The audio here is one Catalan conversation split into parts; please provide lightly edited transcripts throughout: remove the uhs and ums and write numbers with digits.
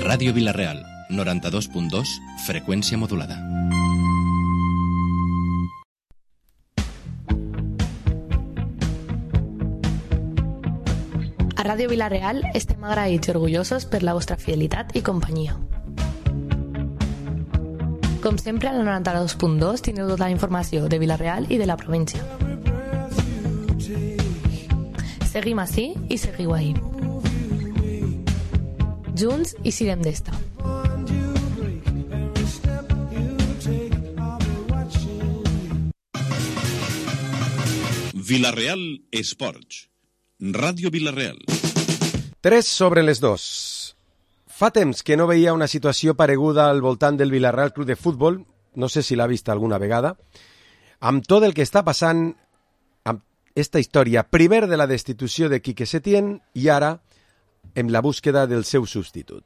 Ràdio Vila-real, 92.2, freqüència modulada. A Ràdio Vila-real estem agraïts i orgullosos per la vostra fidelitat i companyia. Com sempre, al 92.2 teniu tota la informació de Vila-real i de la província. Seguim ací i seguiu ahí. Junts i sirem d'esta. Vila-real Esports. Ràdio Vila-real. 3 sobre les 2. Fa temps que no veia una situació pareguda al voltant del Vila-real Club de Futbol, no sé si l'ha vist alguna vegada, amb tot el que està passant amb esta història, primer de la destitució de Quique Setién i ara en la búsqueda del seu substitut.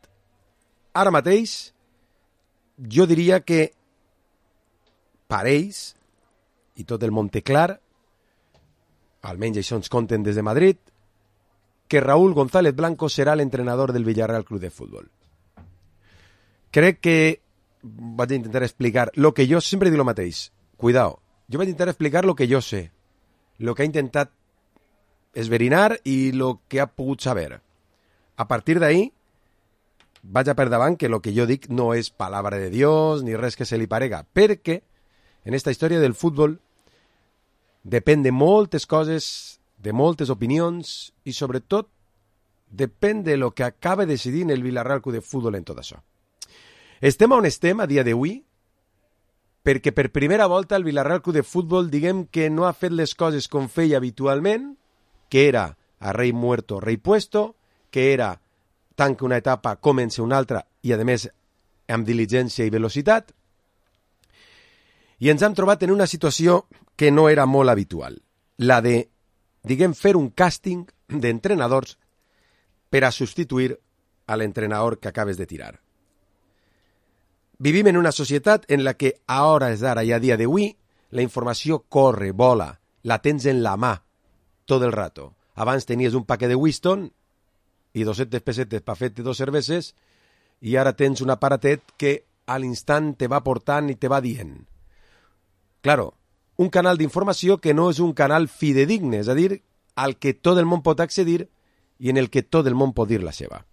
Ara mateix, jo diria que pareix, i tot el món té clar, almenys això ens conten des de Madrid, que Raúl González Blanco serà l'entrenador del Villarreal Club de Futbol. Crec que vaig intentar explicar lo que jo sempre dic lo mateix. Cuidao, jo vaig intentar explicar lo que jo sé, lo que ha intentat esverinar i lo que ha pogut saber. A partir d'ahí, vaig a per davant que lo que jo dic no és palabra de Dios ni res que se li parega, perquè en esta història del futbol depèn de moltes coses, de moltes opinions i, sobretot, depèn de lo que acaba decidint el Villarreal Club de Futbol en tot això. Estem on estem a dia d'avui perquè per primera volta el Villarreal Club de Futbol diguem que no ha fet les coses com feia habitualment, que era a rei muerto, rei puesto, que era tanca una etapa, comença una altra i, a més, amb diligència i velocitat. I ens hem trobat en una situació que no era molt habitual, la de diguem, fer un càsting d'entrenadors per a substituir a l'entrenador que acabes de tirar. Vivim en una societat en la que a hores d'ara i a dia d'avui la informació corre, vola, la tens en la mà tot el rato. Abans tenies un paquet de Winston i 200 pessetes per fer-te 2 cerveses i ara tens un aparatet que a l'instant te va portant i te va dient. Claro, un canal d'informació que no és un canal fidedigne, és a dir, al que tot el món pot accedir i en el que tot el món pot dir la seva.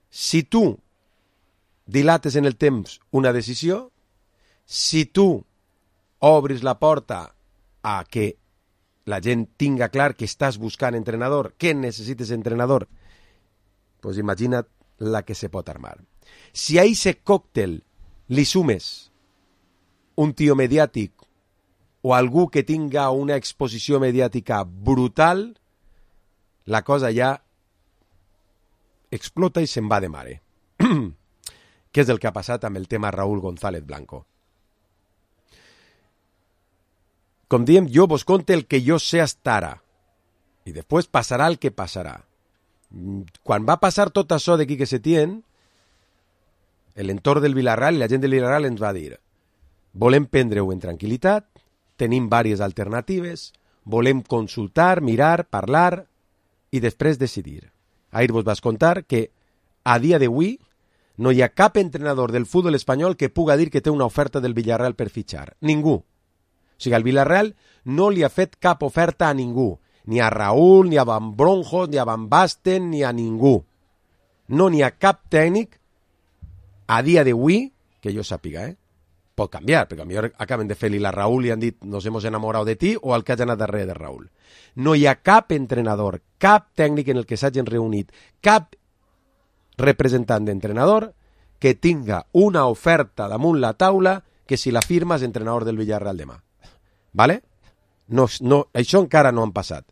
Si tu dilates en el temps una decisió, si tu obris la porta a que la gent tinga clar que estàs buscant entrenador, que necessites entrenador, pues imagina't la que se pot armar. Si a aquest còctel li sumes un tio mediàtic o algú que tinga una exposició mediàtica brutal, la cosa ja explota i se'n va de mare. Què és el que ha passat amb el tema Raúl González Blanco? Com diem, jo vos conte el que jo sé hasta ara. I després passarà el que passarà. Quan va passar tot això de Quique Setién, l'entorn del Villarreal i la gent del Villarreal ens va dir: volem prendre-ho en tranquil·litat, tenim diverses alternatives, volem consultar, mirar, parlar i després decidir. Ahir vos vas contar que a dia d'avui no hi ha cap entrenador del futbol espanyol que puga dir que té una oferta del Villarreal per fitxar. Ningú. O sigui, el Villarreal no li ha fet cap oferta a ningú. Ni a Raúl, ni a Van Bronjos, ni a Van Basten, ni a ningú. No n'hi ha cap tècnic a dia d'avui, que jo sàpiga, pot canviar, perquè potser acaben de fer-li la Raúl i han dit nos hemos enamorado de ti, o el que hagi anat darrere de Raúl. No hi ha cap entrenador, cap tècnic en el que s'hagin reunit, cap representant d'entrenador que tinga una oferta damunt la taula que si la firma és entrenador del Villarreal demà. Vale? No, això encara no han passat.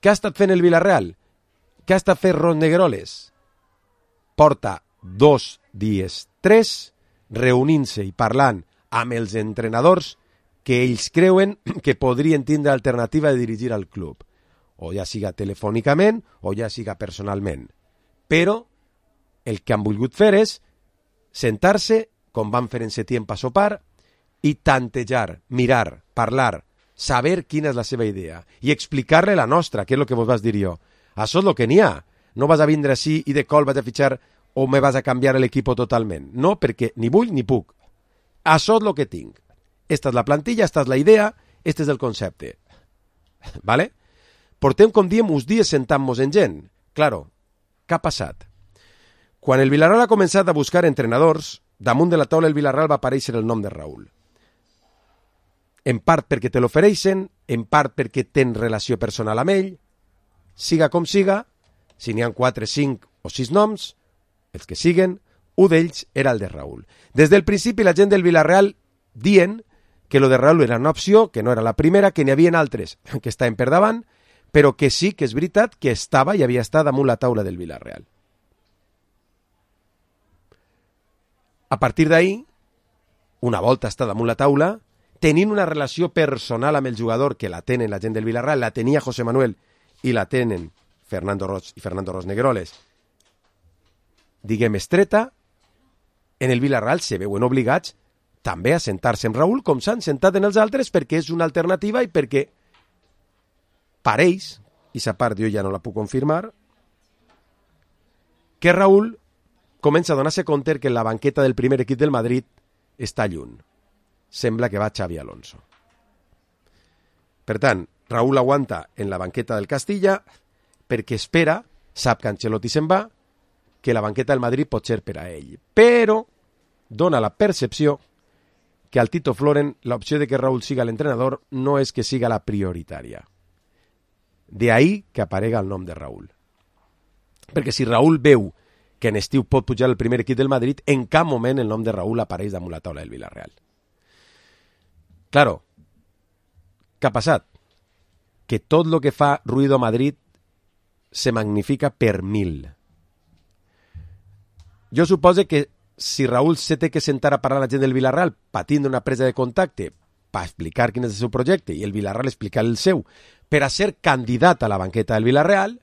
Què ha estat fent el Villarreal? Què ha estat fent Ron Negroles? Porta 2 dies, 3, reunint-se i parlant amb els entrenadors que ells creuen que podrien tindre alternativa de dirigir al club, o ja siga telefònicament o ja siga personalment. Però el que han volgut fer és sentar-se, com van fer en Setién per sopar, i tantejar, mirar, parlar, saber quina és la seva idea i explicar-li la nostra, que és el que vos vas dir jo. Això és el que n'hi ha. no vas a vindre així i de col vas a fitxar o me vas a canviar l'equip totalment. No, perquè ni vull ni puc. Això és el que tinc. Esta és la plantilla, esta és la idea, este és el concepte. ¿Vale? Portem, com diem, uns dies sentant-nos en gent. Claro, què ha passat? Quan el Villarreal ha començat a buscar entrenadors, damunt de la taula del Villarreal va aparèixer el nom de Raúl. En part perquè te l'ofereixen, en part perquè tens relació personal amb ell, siga com siga, si n'hi ha 4, 5 o 6 noms, els que siguen, un d'ells era el de Raúl. Des del principi la gent del Villarreal dient que lo de Raúl era una opció, que no era la primera, que n'hi havia altres que estaven per davant, però que sí que és veritat que estava i havia estat damunt la taula del Villarreal. A partir d'ahir, una volta està damunt la taula, tenint una relació personal amb el jugador que la tenen la gent del Villarreal, la tenia José Manuel i la tenen Fernando Roig i Fernando Rosnegueroles, diguem estreta, en el Villarreal se veuen obligats també a sentar-se amb Raúl com s'han sentat en els altres perquè és una alternativa i perquè pareix, i sa part jo ja no la puc confirmar, que Raúl comença a donar-se compte que la banqueta del primer equip del Madrid està lluny. Sembla que va Xavi Alonso. Per tant, Raúl aguanta en la banqueta del Castilla perquè espera, sap que Ancelotti se'n va, que la banqueta del Madrid pot ser per a ell. Però dona la percepció que al Tito Floren l'opció de que Raúl siga l'entrenador no és que siga la prioritària. De ahí que aparega el nom de Raúl. Perquè si Raúl veu que en estiu pot pujar el primer equip del Madrid, en cap moment el nom de Raúl apareix damunt la taula del Villarreal. Claro, què ha passat? Que tot el que fa ruido a Madrid se magnifica per 1000. Jo supose que si Raúl se té que sentar a parlar a la gent del Villarreal patint una presa de contacte per explicar quin és el seu projecte i el Villarreal explicar el seu per a ser candidat a la banqueta del Villarreal,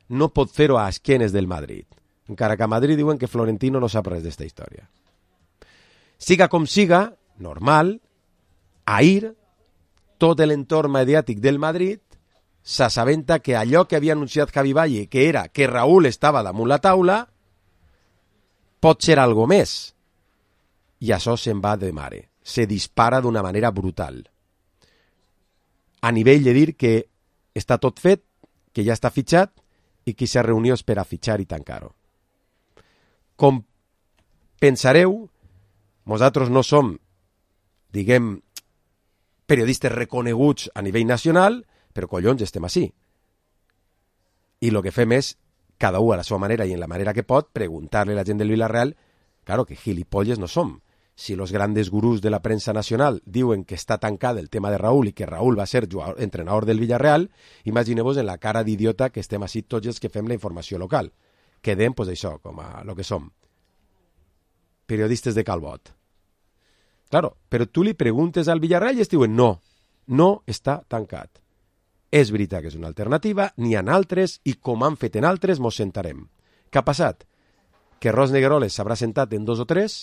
no pot fer-ho a esquenes del Madrid. Encara que a Madrid diuen que Florentino no sap res d'esta història. Siga com siga, normal, ahir, tot l'entorn mediàtic del Madrid s'assabenta que allò que havia anunciat Javi Valle, que era que Raúl estava damunt la taula, pot ser algo més. I això se'n va de mare. Se dispara d'una manera brutal. A nivell de dir que està tot fet, que ja està fitxat i que s'ha reunió és per a fitxar i tancar-ho. Com pensareu, nosaltres no som, diguem, periodistes reconeguts a nivell nacional, però collons estem així. I el que fem és, cada un a la seva manera i en la manera que pot, preguntar-li a la gent del Villarreal, claro que gilipolles no som. Si los grandes gurús de la prensa nacional diuen que està tancat el tema de Raúl i que Raúl va ser entrenador del Villarreal, imagineu-vos en la cara d'idiota que estem així tots els que fem la informació local. Quedem, pues això, com a lo que som. Periodistes de Calbot. Claro, però tu li preguntes al Villarreal i es diuen no, no està tancat. És veritat que és una alternativa, n'hi ha altres i com han fet en altres mos sentarem. Què ha passat? Que Rosnegueroles s'haurà sentat en 2 o 3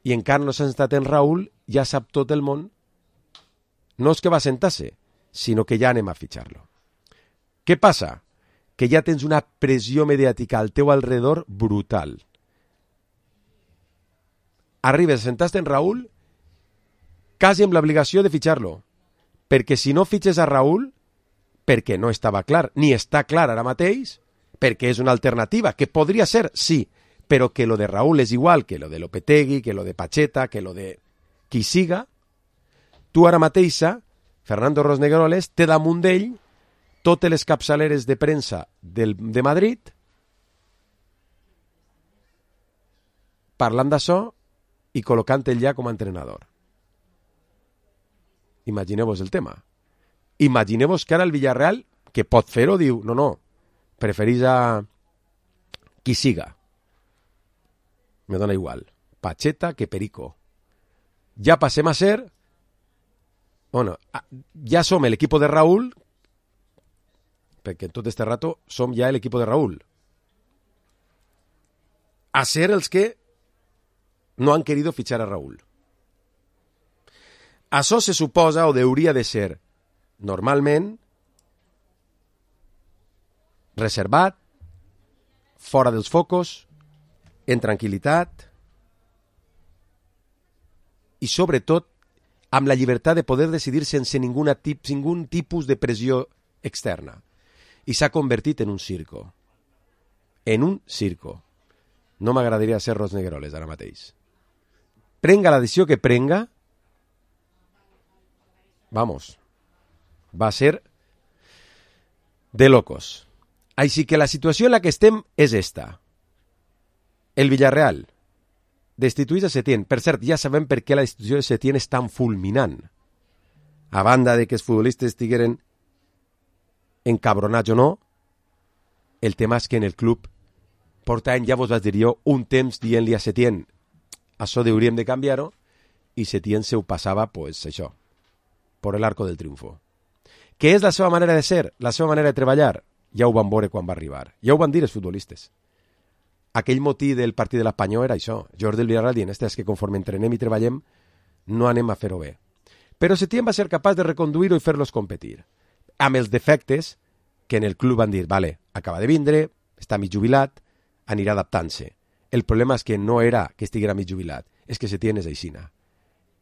i encara no s'ha sentat en Raúl, ja sap tot el món. No és que va sentar-se, sinó que ja anem a fitxar-lo. Què passa? Que ja tens una pressió mediàtica al teu alrededor brutal. Arribes a sentar-te en Raúl quasi amb l'obligació de fitxar-lo. Perquè si no fitxes a Raúl, perquè no estava clar, ni està clar ara mateix, perquè és una alternativa, que podria ser, sí, però que lo de Raúl és igual que lo de Lopetegui, que lo de Pacheta, que lo de qui siga, tu ara mateixa, Fernando Rosnegueroles, té damunt d'ell totes les capçaleres de premsa de Madrid parlant d'això i col·locant ell ja com a entrenador. Imagineu-vos el tema. Imagineu-vos que ara el Villarreal, que pot fer-ho, diu, no, preferís a qui siga. Me dona igual. Pacheta que Perico. Ja passem a ser, bueno, ja som l'equip de Raúl, perquè en tot este rato som ja l'equip de Raúl. A ser els que no han querido fichar a Raúl. Això se suposa o hauria de ser normalment reservat, fora dels focos, en tranquil·litat i, sobretot, amb la llibertat de poder decidir sense ningun tipus de pressió externa. I s'ha convertit en un circo. En un circo. No m'agradaria ser Ros Negueroles ara mateix. Prenga la decisió que prenga, vamos, va a ser de locos. Així que la situació en la que estem és esta. El Villarreal destituïs a Setién. Per cert, ja sabem per què la destitució de Setién és tan fulminant. A banda de que els futbolistes estigueren encabronats o no, el tema és que en el club portaven, ja vos vaig dir jo, un temps dient-li a Setién això hauríem de canviar-ho, i Setién se ho passava, pues, això, per l'arco del triunfo. Què és la seva manera de ser? La seva manera de treballar? Ja ho van veure quan va arribar. Ja ho van dir els futbolistes. Aquell motí del partit de l'Espanyol era això. Jordi del Villarreal dient, és que conforme entrenem i treballem, no anem a fer-ho bé. Però Setién va ser capaç de reconduir-ho i fer-los competir. Amb els defectes que en el club van dir, vale, acaba de vindre, està mig jubilat, anirà adaptant-se. El problema és que no era que estiguera mig jubilat, és que Setién és aixina.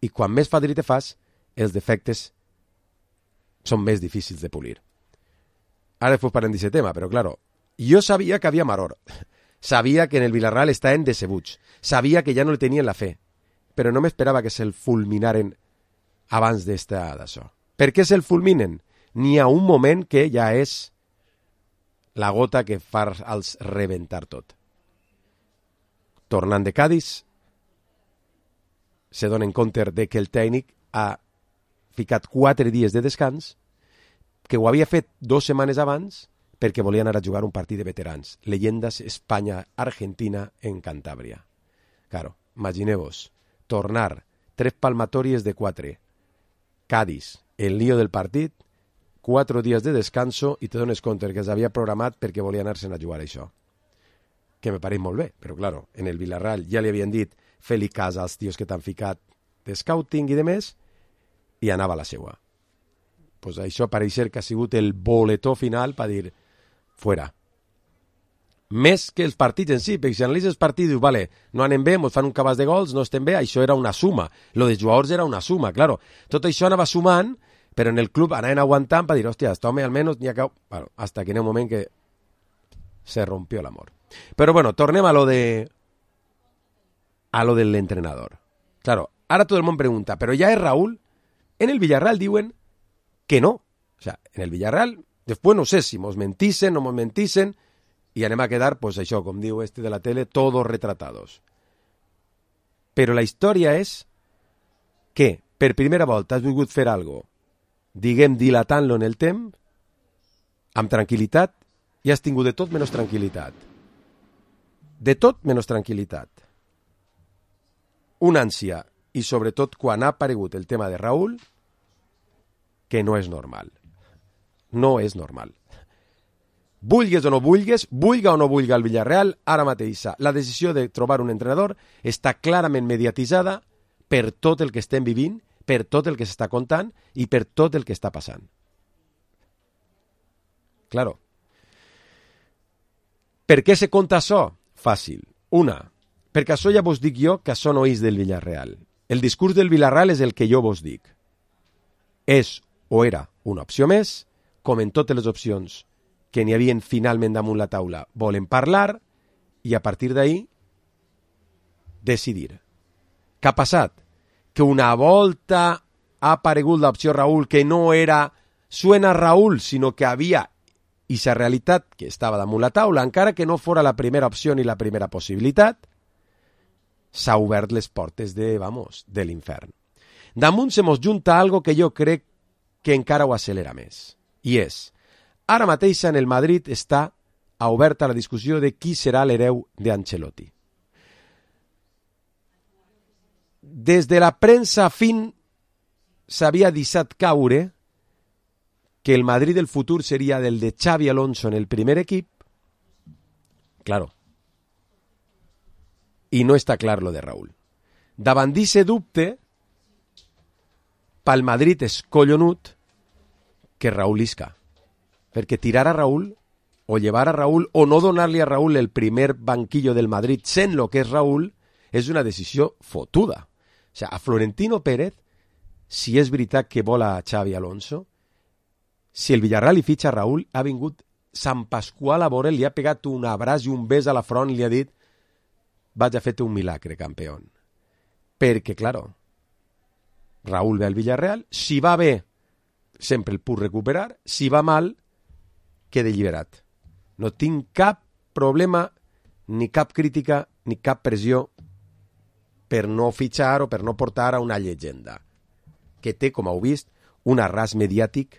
I quan més fadrí te fas, els defectes són més difícils de polir. Ara després parlem d'aquest tema, però claro, jo sabia que havia maror. Sabia que en el Villarreal estaven decebuts. Sabia que ja no li tenien la fe. Però no m'esperava que se'l fulminaren abans d'això. Per què se'l fulminen? N'hi ha un moment que ja és la gota que fa els rebentar tot. Tornant de Cádiz, se donen compte de que el tècnic ha ficat 4 dies de descans, que ho havia fet 2 setmanes abans perquè volien anar a jugar un partit de veterans. Leyendas Espanya-Argentina en Cantàbria. Claro, imagineu-vos, tornar 3 palmatòries de 4. Cádiz, el lío del partit, 4 dies de descanso i te dones compte que s'havia programat perquè volien anar-se'n a jugar això. Que me pareix molt bé, però claro, en el Villarreal ja li havien dit fer-li cas als tios que t'han ficat de scouting i de més, i anava a la seua. Pues això pareix ser que ha sigut el boletó final per dir fuera. Més que els partits en si, perquè si analitzes el partit i dius, vale, no anem bé, ens fan un cabàs de gols, no estem bé, això era una suma. Lo de jugadors era una suma, claro. Tot això anava sumant, però en el club anaven aguantant per dir, hòstia, este home almenys n'hi ha que... Bueno, hasta que en un moment que se rompió l'amor. Però bueno, tornem a lo de l'entrenador. Claro, ara tot el món pregunta, però ja és Raúl? En el Villarreal diuen que no. O sea, en el Villarreal, después no sé si mos mentisen, no mos mentisen, i anem a quedar, pues això, com diu este de la tele, todos retratados. Però la història és que, per primera volta, has volgut fer algo, diguem, dilatant-lo en el temps, amb tranquil·litat, i has tingut de tot menys tranquil·litat. De tot menys tranquil·litat. Una ànsia, i sobretot quan ha aparegut el tema de Raúl, que no és normal. No és normal. Vulgues o no vulgues, vulga o no vulga el Villarreal, ara mateix la decisió de trobar un entrenador està clarament mediatitzada per tot el que estem vivint, per tot el que s'està contant i per tot el que està passant. Claro. Per què se conta això? Fàcil. Una, perquè això ja vos dic jo que això no és del Villarreal. El discurs del Villarreal és el que jo vos dic. És o era una opció més, com en totes les opcions que n'hi havien finalment damunt la taula, volen parlar i a partir d'ahí decidir. Què ha passat? Que una volta ha aparegut l'opció Raúl, que no era suena Raúl, sinó que havia aquesta realitat que estava damunt la taula, encara que no fora la primera opció ni la primera possibilitat, s'ha obert les portes de l'infern. Damunt se mos junta algo que jo crec que encara ho accelera més. I és, ara mateix en el Madrid està oberta la discussió de qui serà l'hereu d'Ancelotti. Des de la premsa fin s'havia deixat caure que el Madrid del futur seria del de Xavi Alonso en el primer equip. Claro. I no està clar lo de Raúl. Davant d'aquest dubte, pel Madrid és collonut que Raúl isca. Perquè tirar a Raúl o llevar a Raúl o no donar-li a Raúl el primer banquillo del Madrid sent lo que és Raúl, és una decisió fotuda. O sigui, a Florentino Pérez, si és veritat que vol a Xavi Alonso, si el Villarreal hi fitxa Raúl, ha vingut Sant Pasqual a veure'l, li ha pegat un abraç i un bes a la front i li ha dit vaig a fer-te un milagre, campió. Perquè, claro, Raúl ve al Villarreal, si va bé, sempre el puc recuperar, si va mal, queda alliberat. No tinc cap problema, ni cap crítica, ni cap pressió per no fitxar o per no portar a una llegenda que té, com heu vist, un arràs mediàtic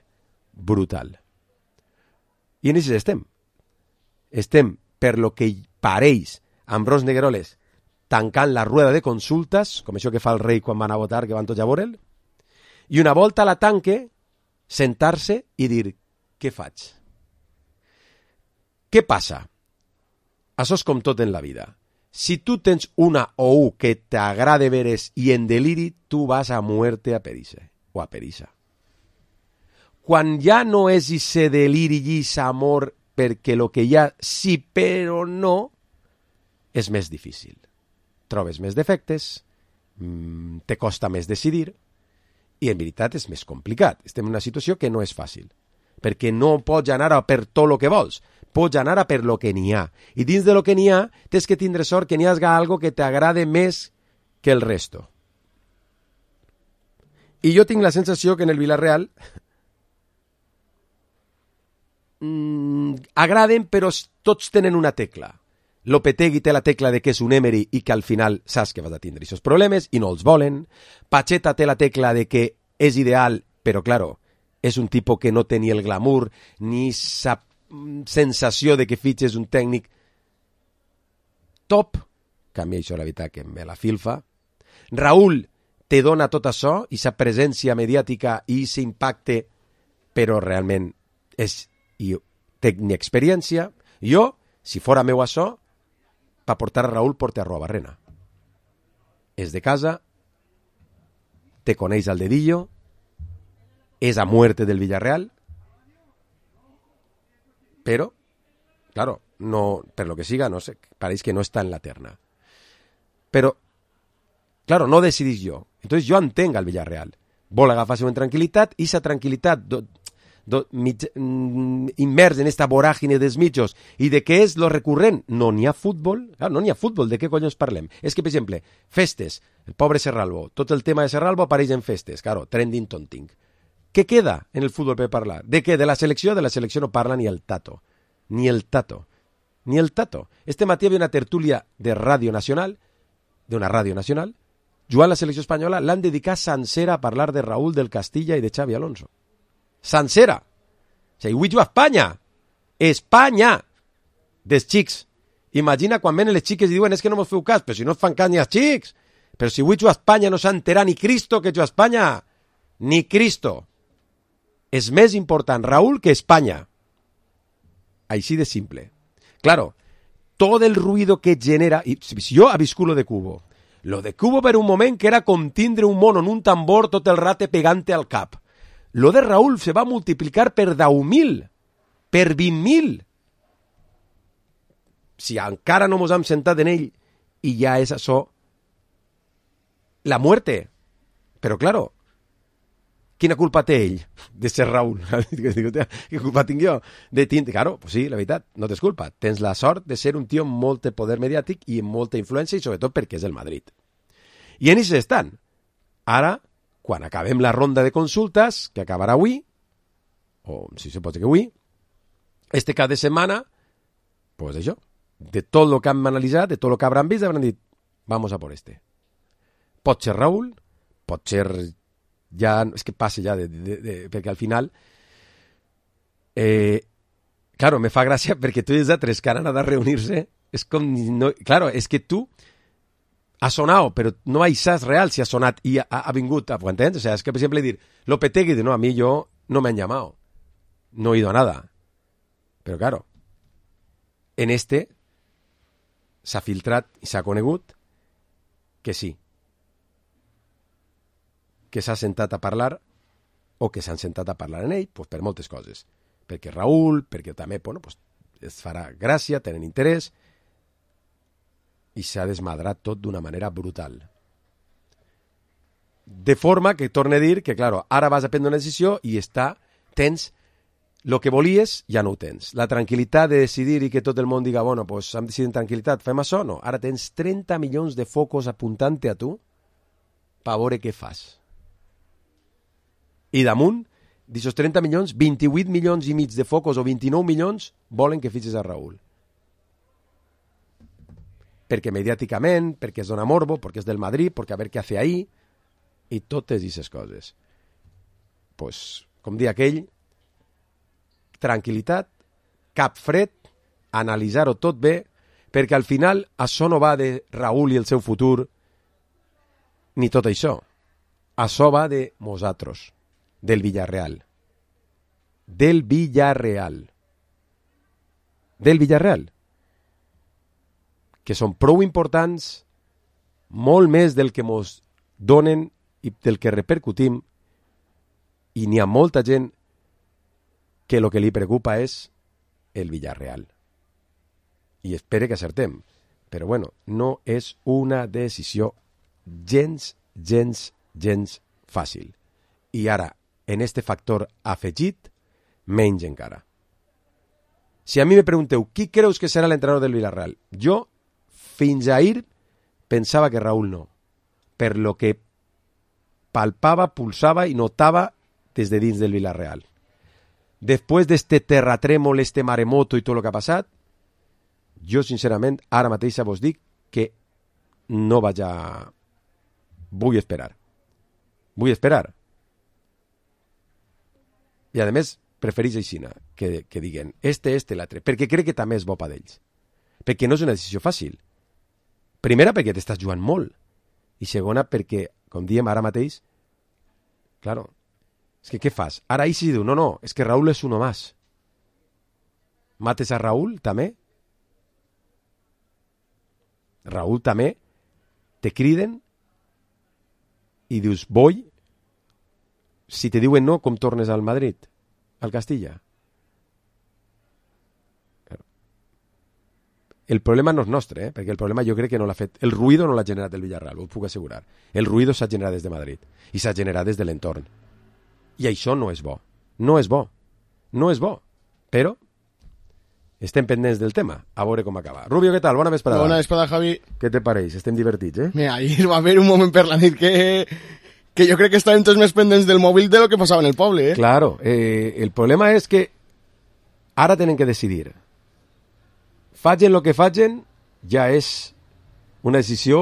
brutal. I en això estem. Estem, per lo que pareix, amb Ros Negueroles tancant la rueda de consultes, com això que fa el rei quan van a votar, que van tots a veure'l, i una volta la tanque, sentar-se i dir, què faig? Què passa? Això és com tot en la vida. Si tu tens una o un que t'agrada veres i en deliri, tu vas a muerte a perissa, o a perissa. Quan ja no és ese deliri i ese amor perquè lo que hi ha sí però no, és més difícil. Trobes més defectes, te costa més decidir, i en veritat és més complicat. Estem en una situació que no és fàcil, perquè no pots anar a per tot el que vols, pots anar a per lo que n'hi ha. I dins de lo que n'hi ha, tens que tindre sort que n'hi hagi algo que t'agrade més que el resto. I jo tinc la sensació que en el Villarreal agraden, però tots tenen una tecla. Lopetegui té la tecla de que és un Emery i que al final saps que vas a tindre aquests problemes i no els volen. Pacheta té la tecla de que és ideal, però, claro, és un tipus que no té ni el glamour ni sa sensació de que fitxes un tècnic top, que a mi això la veritat que me la filfa. Raúl te dona tot això, i sa presència mediàtica i sa impacte, però realment té ni experiència. Jo, si fora meu això, per portar a Raúl porte a Arruabarrena. És de casa, te coneix al dedillo, és a muerte del Villarreal, però, claro, no, per lo que siga, no sé, pareix que no està en la terna. Però, claro, no decidís jo. Entonces jo entenc al Villarreal. Vol agafar-se en tranquil·litat, i sa tranquil·litat immers en esta voràgine dels mitjos i de què és lo recurrent? No n'hi ha futbol. Claro, no n'hi ha futbol, de què collons parlem? És que, per exemple, festes, el pobre Serralbo, tot el tema de Serralbo apareix en festes, claro, trending tonting. Què queda en el futbol per parlar? De què? De la selecció? De la selecció no parla ni el tato. Ni el tato. Ni el tato. Este matí havia una tertúlia de Ràdio Nacional, d'una ràdio nacional, jugant la selecció espanyola, l'han dedicat sencera a parlar de Raúl del Castilla i de Xavi Alonso. Sencera. O sigui, avui juga Espanya. Espanya! Dels xics. Imagina quan venen les xiques i diuen és que no mos feu cas, però si no fan cas ni els xics. Però si avui juga Espanya no s'ha enterat ni Cristo que juga Espanya. Ni Cristo. És més important Raúl que Espanya. Així de simple. Claro, todo el ruido que genera... I si jo ha viscut lo de Cubo. Lo de Cubo per un moment que era com tindre un mono en un tambor tot el rate pegante al cap. Lo de Raúl se va multiplicar per 10.000, per 20.000. Si encara no mos hem sentat en ell i ja és això la muerte. Però, claro, quina culpa té ell de ser Raúl? Quina culpa tinc jo? Claro, pues sí, la veritat, no tens culpa. Tens la sort de ser un tio amb molt poder mediàtic i amb molta influència i sobretot perquè és el Madrid. I en això estan. Ara, quan acabem la ronda de consultes, que acabarà avui, o si se pot dir que avui, este cap de setmana, pues això, de tot el que hem analitzat, de tot el que hauran vist, hauran dit, vamos a por este. Pot ser Raúl, pot ser... ja, és que passa ja, perquè al final... claro, me fa gràcia perquè tu els altres que han anat a reunir-se, és com... No, claro, és que tu... ha sonado, pero no hay sas real si ha sonat y ha vingut, ¿ho entiendes? O sea, es que, por ejemplo, decir, Lopetegui dice, no, a mí no me han llamado, no he ido a nada. Pero claro, en este s'ha filtrat i s'ha conegut que sí, que s'ha sentat a parlar o que s'han sentat a parlar en ell, pues, per moltes coses. Perquè Raúl, perquè també, bueno, pues, es farà gràcia, tenen interès, i s'ha desmadrat tot d'una manera brutal. De forma que, torne a dir, que, claro, ara vas a prendre una decisió i tens el que volies, ja no ho tens. La tranquil·litat de decidir i que tot el món diga, bueno, pues hem decidit en tranquil·litat, fem això, no. Ara tens 30 milions de focos apuntant-te a tu per veure què fas. I damunt, d'aquests 30 milions, 28 milions i mig de focos o 29 milions volen que fitxes a Raúl. Perquè mediàticament, perquè es dona morbo, perquè és del Madrid, perquè a veure què hace ahí, i totes aquestes coses. Pues, com dia aquell, tranquil·litat, cap fred, analitzar-ho tot bé, perquè al final això no va de Raúl i el seu futur, ni tot això. Això va de nosaltres, del Villarreal. Del Villarreal. Que són prou importants, molt més del que mos donen i del que repercutim, i n'hi ha molta gent que el que li preocupa és el Villarreal. I espere que acertem. Però bueno, no és una decisió gens fàcil. I ara, en este factor afegit, menys encara. Si a mi me pregunteu, qui creus que serà l'entrenador del Villarreal? Jo, fins ahir, pensava que Raúl no. Per lo que palpava, pulsava i notava des de dins del Villarreal. Després d'este terratrèmol, este maremoto i tot el que ha passat, jo, sincerament, ara mateix vos dic que no vaig a... Vull esperar. I, a més, preferís aixina que diguen l'altre, perquè crec que també és bo per ells. Perquè no és una decisió fàcil. Primera, perquè t'estàs jugant molt. I segona, perquè, com diem ara mateix, claro, és que què fas? Ara ahí sí diu, no, és que Raúl és uno más. Mates a Raúl, també? Raúl també? Te criden i dius, voy. Si te diuen no, com tornes al Madrid? Al Castilla? El problema no és nostre, perquè el problema jo crec que no l'ha fet. El ruïdo no l'ha generat el Villarreal, ho puc assegurar. El ruïdo s'ha generat des de Madrid i s'ha generat des de l'entorn. I això no és bo. No és bo. Però estem pendents del tema. A veure com acaba. Rubio, què tal? Bona vesprada. Bona vesprada, Javi. Què te pareix? Estem divertits, eh? Mira, ahir va haver un moment per la nit que jo crec que estàvem tots més pendents del mòbil de lo que passava en el poble, eh? Claro. El problema és que ara tenen que decidir. Facin el que facin, ja és una decisió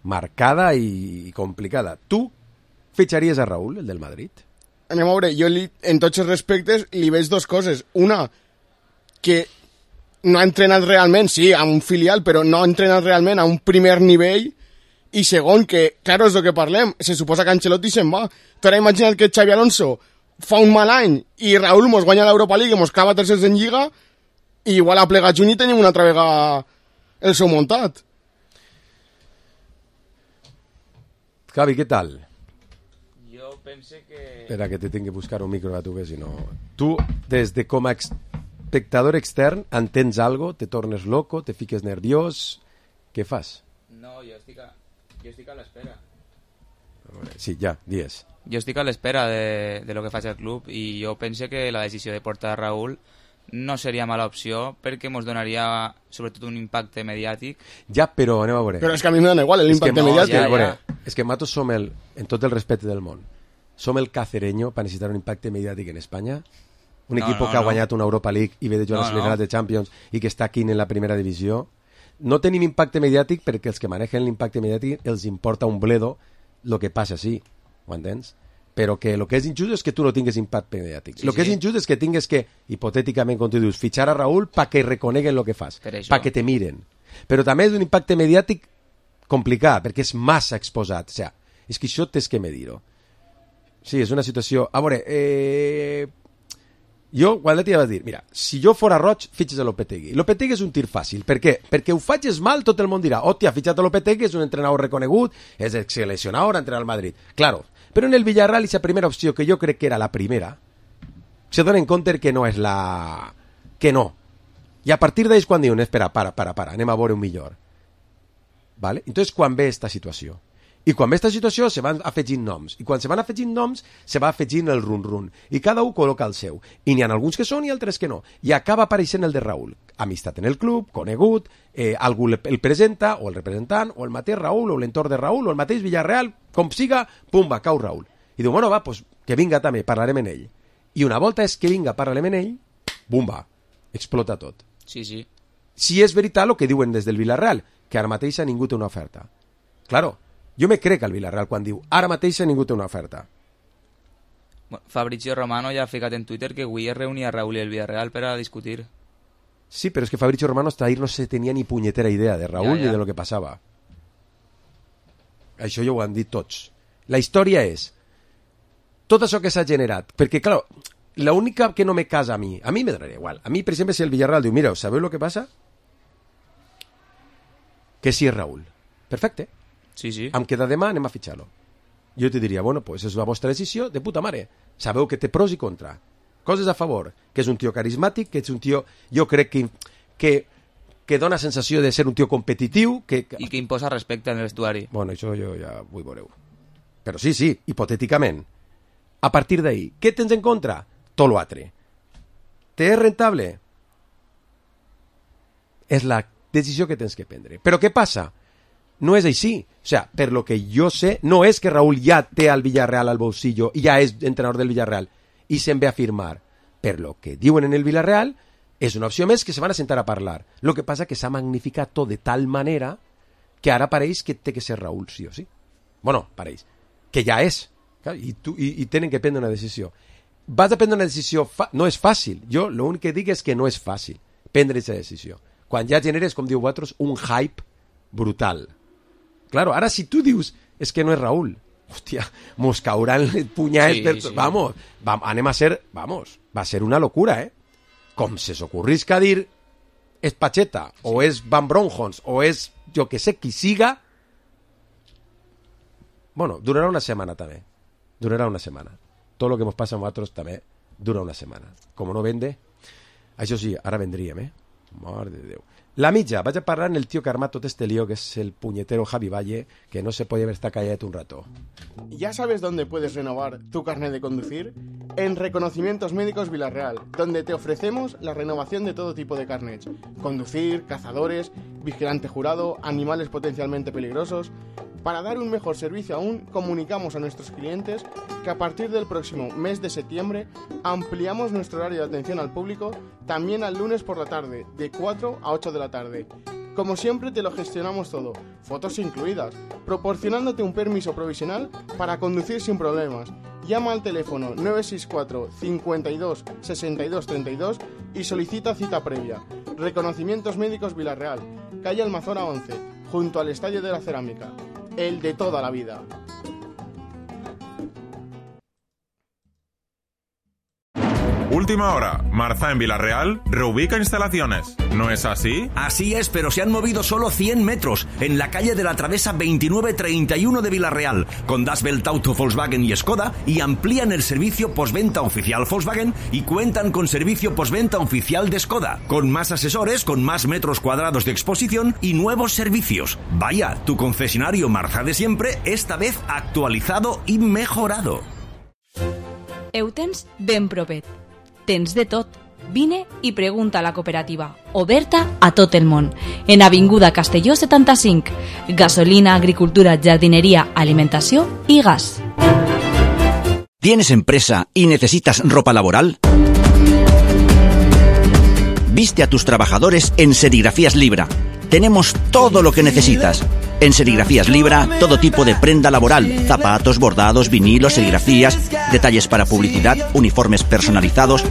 marcada i complicada. Tu fitxaries a Raúl, el del Madrid? Anem a veure, jo en tots els respectes li veig dues coses. Una, que no ha entrenat realment, sí, a un filial, però no ha entrenat realment a un primer nivell. I segon, que, claro, és el que parlem, se suposa que Ancelotti se'n va. Tu ara imagina't que Xavi Alonso fa un mal any i Raúl mos guanya l'Europa League i mos clava tercers en Lliga i igual a plegat juny i tenim una altra vegada el seu muntat. Javi, què tal? Jo pense que... Espera, que te tinc que buscar un micro a tu, que si no... Tu, des de com a espectador extern, entens algo, te tornes loco, te fiques nerviós... Què fas? No, jo estic a l'espera. Sí, ja, dies. Jo estic a l'espera de lo que faci el club i jo pense que la decisió de portar a Raúl no seria mala opció perquè ens donaria sobretot un impacte mediàtic. Ja, però anem a veure. Però és que a mi em dona igual l'impacte mediàtic. És que nosaltres som en tot el respecte del món, som el cacereño per necessitar un impacte mediàtic en Espanya. Un equip que ha guanyat una Europa League i ve de jugar a les finals de Champions i que està aquí en la primera divisió. No tenim impacte mediàtic perquè els que manegen l'impacte mediàtic els importa un bledo el que passa així, ho entens? Però que el que és injust és que tu no tingues impacte mediàtic. El que és injust és que tingues que, hipotèticament, com tu dius, fitxar a Raúl perquè reconeguen el que fas, perquè te miren. Però també és un impacte mediàtic complicat, perquè és massa exposat. O sigui, és que això tens que medir-ho. Sí, és una situació... A veure, jo, Guadaleti, ja vas dir, mira, si jo fora roig, fitxes a Lopetegui. Lopetegui és un tir fàcil. Per què? Perquè ho facis mal, tot el món dirà, hòstia, ha fitxat a Lopetegui, és un entrenador reconegut, és seleccionador, entrenar al Madrid. Claro, però en el Villarreal, esa primera opció, que jo crec que era la primera, se donen compte que no és la... que no. I a partir d'ells quan diuen, espera, para, anem a veure un millor. ¿Vale? Entonces, quan ve esta situació. I quan ve esta situació se van afegint noms. I quan se van afegint noms, se va afegint el run-run. I cada un col·loca el seu. I n'hi ha alguns que són i altres que no. I acaba apareixent el de Raül. Amistat en el club, conegut, algú el presenta, o el representant, o el mateix Raül, o l'entorn de Raül, o el mateix Villarreal, com siga, pumba, cau Raül. I diu, bueno, va, pues, que vinga també, parlarem en ell. I una volta és que vinga, parlarem en ell, bumba, explota tot. Sí. Si és veritat el que diuen des del Villarreal, que ara mateix ningú té una oferta. Claro, jo me crec al Villarreal quan diu ara mateix ningú té una oferta. Bueno, Fabrizio Romano ja ha ficat en Twitter que avui es reunia Raúl i el Villarreal per a discutir. Sí, però és que Fabrizio Romano hasta ahir no se tenia ni punyetera idea de Raúl ni de lo que passava. Això ja ho han dit tots. La història és tot això que s'ha generat, perquè, clar, l'única que no me casa a mi me donarà igual. A mi, per exemple, si el Villarreal diu, mira, ¿sabeu lo que passa? Que sí és Raúl. Perfecte. Sí. Em queda demà, anem a fitxar-lo. Jo te diria, bueno, pues és la vostra decisió, de puta mare. Sabeu que té pros i contra. Coses a favor, que és un tio carismàtic, que és un tio, jo crec que dona sensació de ser un tio competitiu. I que imposa respecte en el vestuari. Bueno, això jo ja vull veure. Però sí, hipotèticament. A partir d'ahí, què tens en contra? Tot l'altre. Te és rentable? És la decisió que tens que prendre. Però què passa? No és així. O sea, per lo que jo sé, no és que Raúl ja té al Villarreal al bolsillo i ja és entrenador del Villarreal i se'n ve a firmar. Per lo que diuen en el Villarreal, és una opció més que se van a sentar a parlar. Lo que passa que s'ha magnificat tot de tal manera que ara pareix que té que ser Raúl, sí o sí. Bueno, pareix. Que ja és. I tenen que prendre una decisió. Vas a prendre una decisió... No és fàcil. Jo l'únic que dic és que no és fàcil prendre aquesta decisió. Quan ja generes, com diu vosaltres, un hype brutal. Claro, ara si tu dius és que no és Raúl, hòstia, mos cauran les punyades... Sí. Vamos, anem a ser... Vamos, va a ser una locura, ¿eh? Com se s'ocorrisca dir és Pacheta, o és Van Bronjons, o és jo que sé qui siga... Bueno, durarà una setmana també. Durarà una setmana. Tot el que ens passa a nosaltres també dura una setmana. Com no vende, això sí, ara vendríem, ¿eh? Mare de Déu. La mitja, vaig a parlar en el tío que arma tot este lío, que es el puñetero Javi Valle, que no se puede estar callado un rato. ¿Ya sabes dónde puedes renovar tu carnet de conducir? En Reconocimientos Médicos Villarreal, donde te ofrecemos la renovación de todo tipo de carnets. Conducir, cazadores, vigilante jurado, animales potencialmente peligrosos... Para dar un mejor servicio aún, comunicamos a nuestros clientes que a partir del próximo mes de septiembre ampliamos nuestro horario de atención al público también al lunes por la tarde, de 4 a 8 de la tarde. Como siempre te lo gestionamos todo, fotos incluidas, proporcionándote un permiso provisional para conducir sin problemas. Llama al teléfono 964 52 62 32 y solicita cita previa. Reconocimientos Médicos Villarreal, calle Almazora 11, junto al Estadio de la Cerámica. El de toda la vida. Última hora. Marza en Villarreal reubica instalaciones. ¿No es así? Así es, pero se han movido solo 100 metros en la calle de la Travesa 2931 de Villarreal, con Das Welt Auto Volkswagen y Skoda, y amplían el servicio postventa oficial Volkswagen y cuentan con servicio postventa oficial de Skoda, con más asesores, con más metros cuadrados de exposición y nuevos servicios. Vaya, tu concesionario Marza de siempre, esta vez actualizado i mejorado. Eutens ben propet. Tens de tot. Vine i pregunta a la cooperativa, oberta a tot el món, en Avinguda Castelló 75. Gasolina, agricultura, jardinería, alimentació i gas. ¿Tienes empresa y necesitas ropa laboral? Viste a tus trabajadores en Serigrafías Libra. Tenemos todo lo que necesitas. En Serigrafías Libra, todo tipo de prenda laboral, zapatos, bordados, vinilos, serigrafías, detalles para publicidad, uniformes personalizados.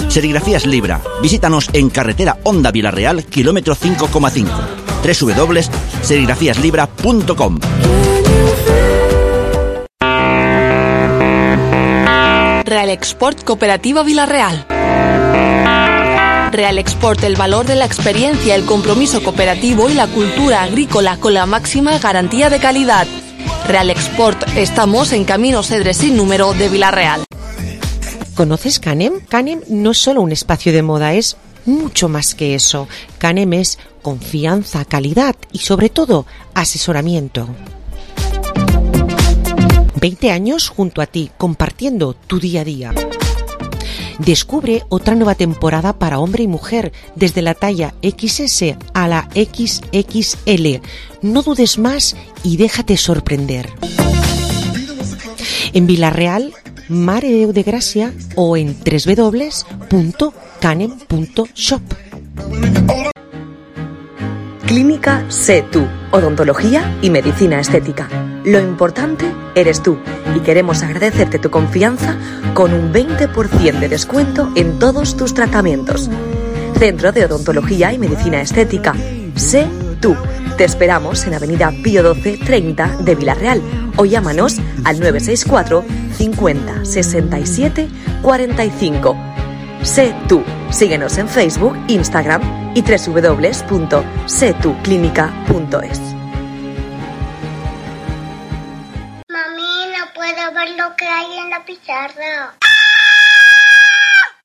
Serigrafías Libra. Visítanos en carretera Honda Villarreal, kilómetro 5,5. www.serigrafíaslibra.com. Real Export Cooperativa Villarreal. Real Export, el valor de la experiencia, el compromiso cooperativo y la cultura agrícola con la máxima garantía de calidad. Real Export, estamos en Camino Cedre sin número de Villarreal. ¿Conoces Canem? Canem no es solo un espacio de moda, es mucho más que eso. Canem es confianza, calidad y sobre todo asesoramiento. 20 años junto a ti, compartiendo tu día a día. Descubre otra nueva temporada para hombre y mujer, desde la talla XS a la XXL. No dudes más y déjate sorprender. En Vilareal, Mare de Déu de Gràcia o en www.canem.shop. Clínica Sé Tú, odontología y medicina estética. Lo importante eres tú y queremos agradecerte tu confianza con un 20% de descuento en todos tus tratamientos. Centro de Odontología y Medicina Estética. Sé Tú. Te esperamos en Avenida Pío 12 30 de Vilareal o llámanos al 964 50 67 45. Sé Tú. Síguenos en Facebook, Instagram y www.setuclinica.es. Mami, no puedo ver lo que hay en la pizarra.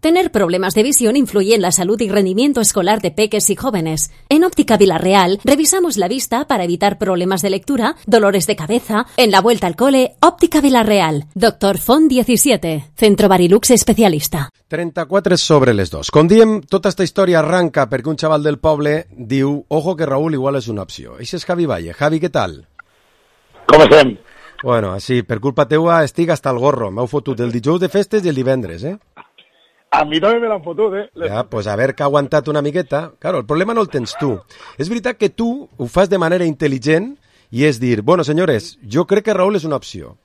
Tener problemas de visión influye en la salud y rendimiento escolar de peques y jóvenes. En Óptica Vilareal revisamos la vista para evitar problemas de lectura, dolores de cabeza. En la vuelta al cole, Óptica Vilareal. Dr. Font 17, Centro Barilux especialista. 34 sobre les 2. Com diem, tota esta història arranca perquè un xaval del poble diu «Ojo que Raúl igual és una opció». Això és Javi Valle. Javi, què tal? Com estem? Bueno, així, per culpa teua estic hasta el gorro. M'heu fotut el dijous de festes i el divendres, eh? A mi també me l'han fotut, eh? Ja, pues a veure que ha aguantat una miqueta. Claro, el problema no el tens tu. És veritat que tu ho fas de manera intel·ligent i és dir, bueno, senyores, jo crec que Raúl és una opció.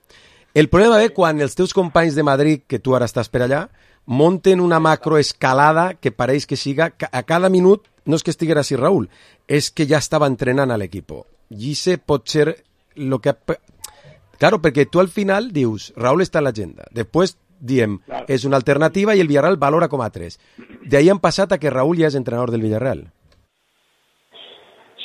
El problema ve quan els teus companys de Madrid, que tu ara estàs per allà, monten una macroescalada que pareix que siga, a cada minut no és que estiguera així Raúl, és que ja estava entrenant a l'equip. I això pot ser el que... Claro, perquè tu al final dius, Raúl està en l'agenda. Després diem, és una alternativa i el Villarreal valora com a 3. De ahí han passat a que Raúl ja és entrenador del Villarreal.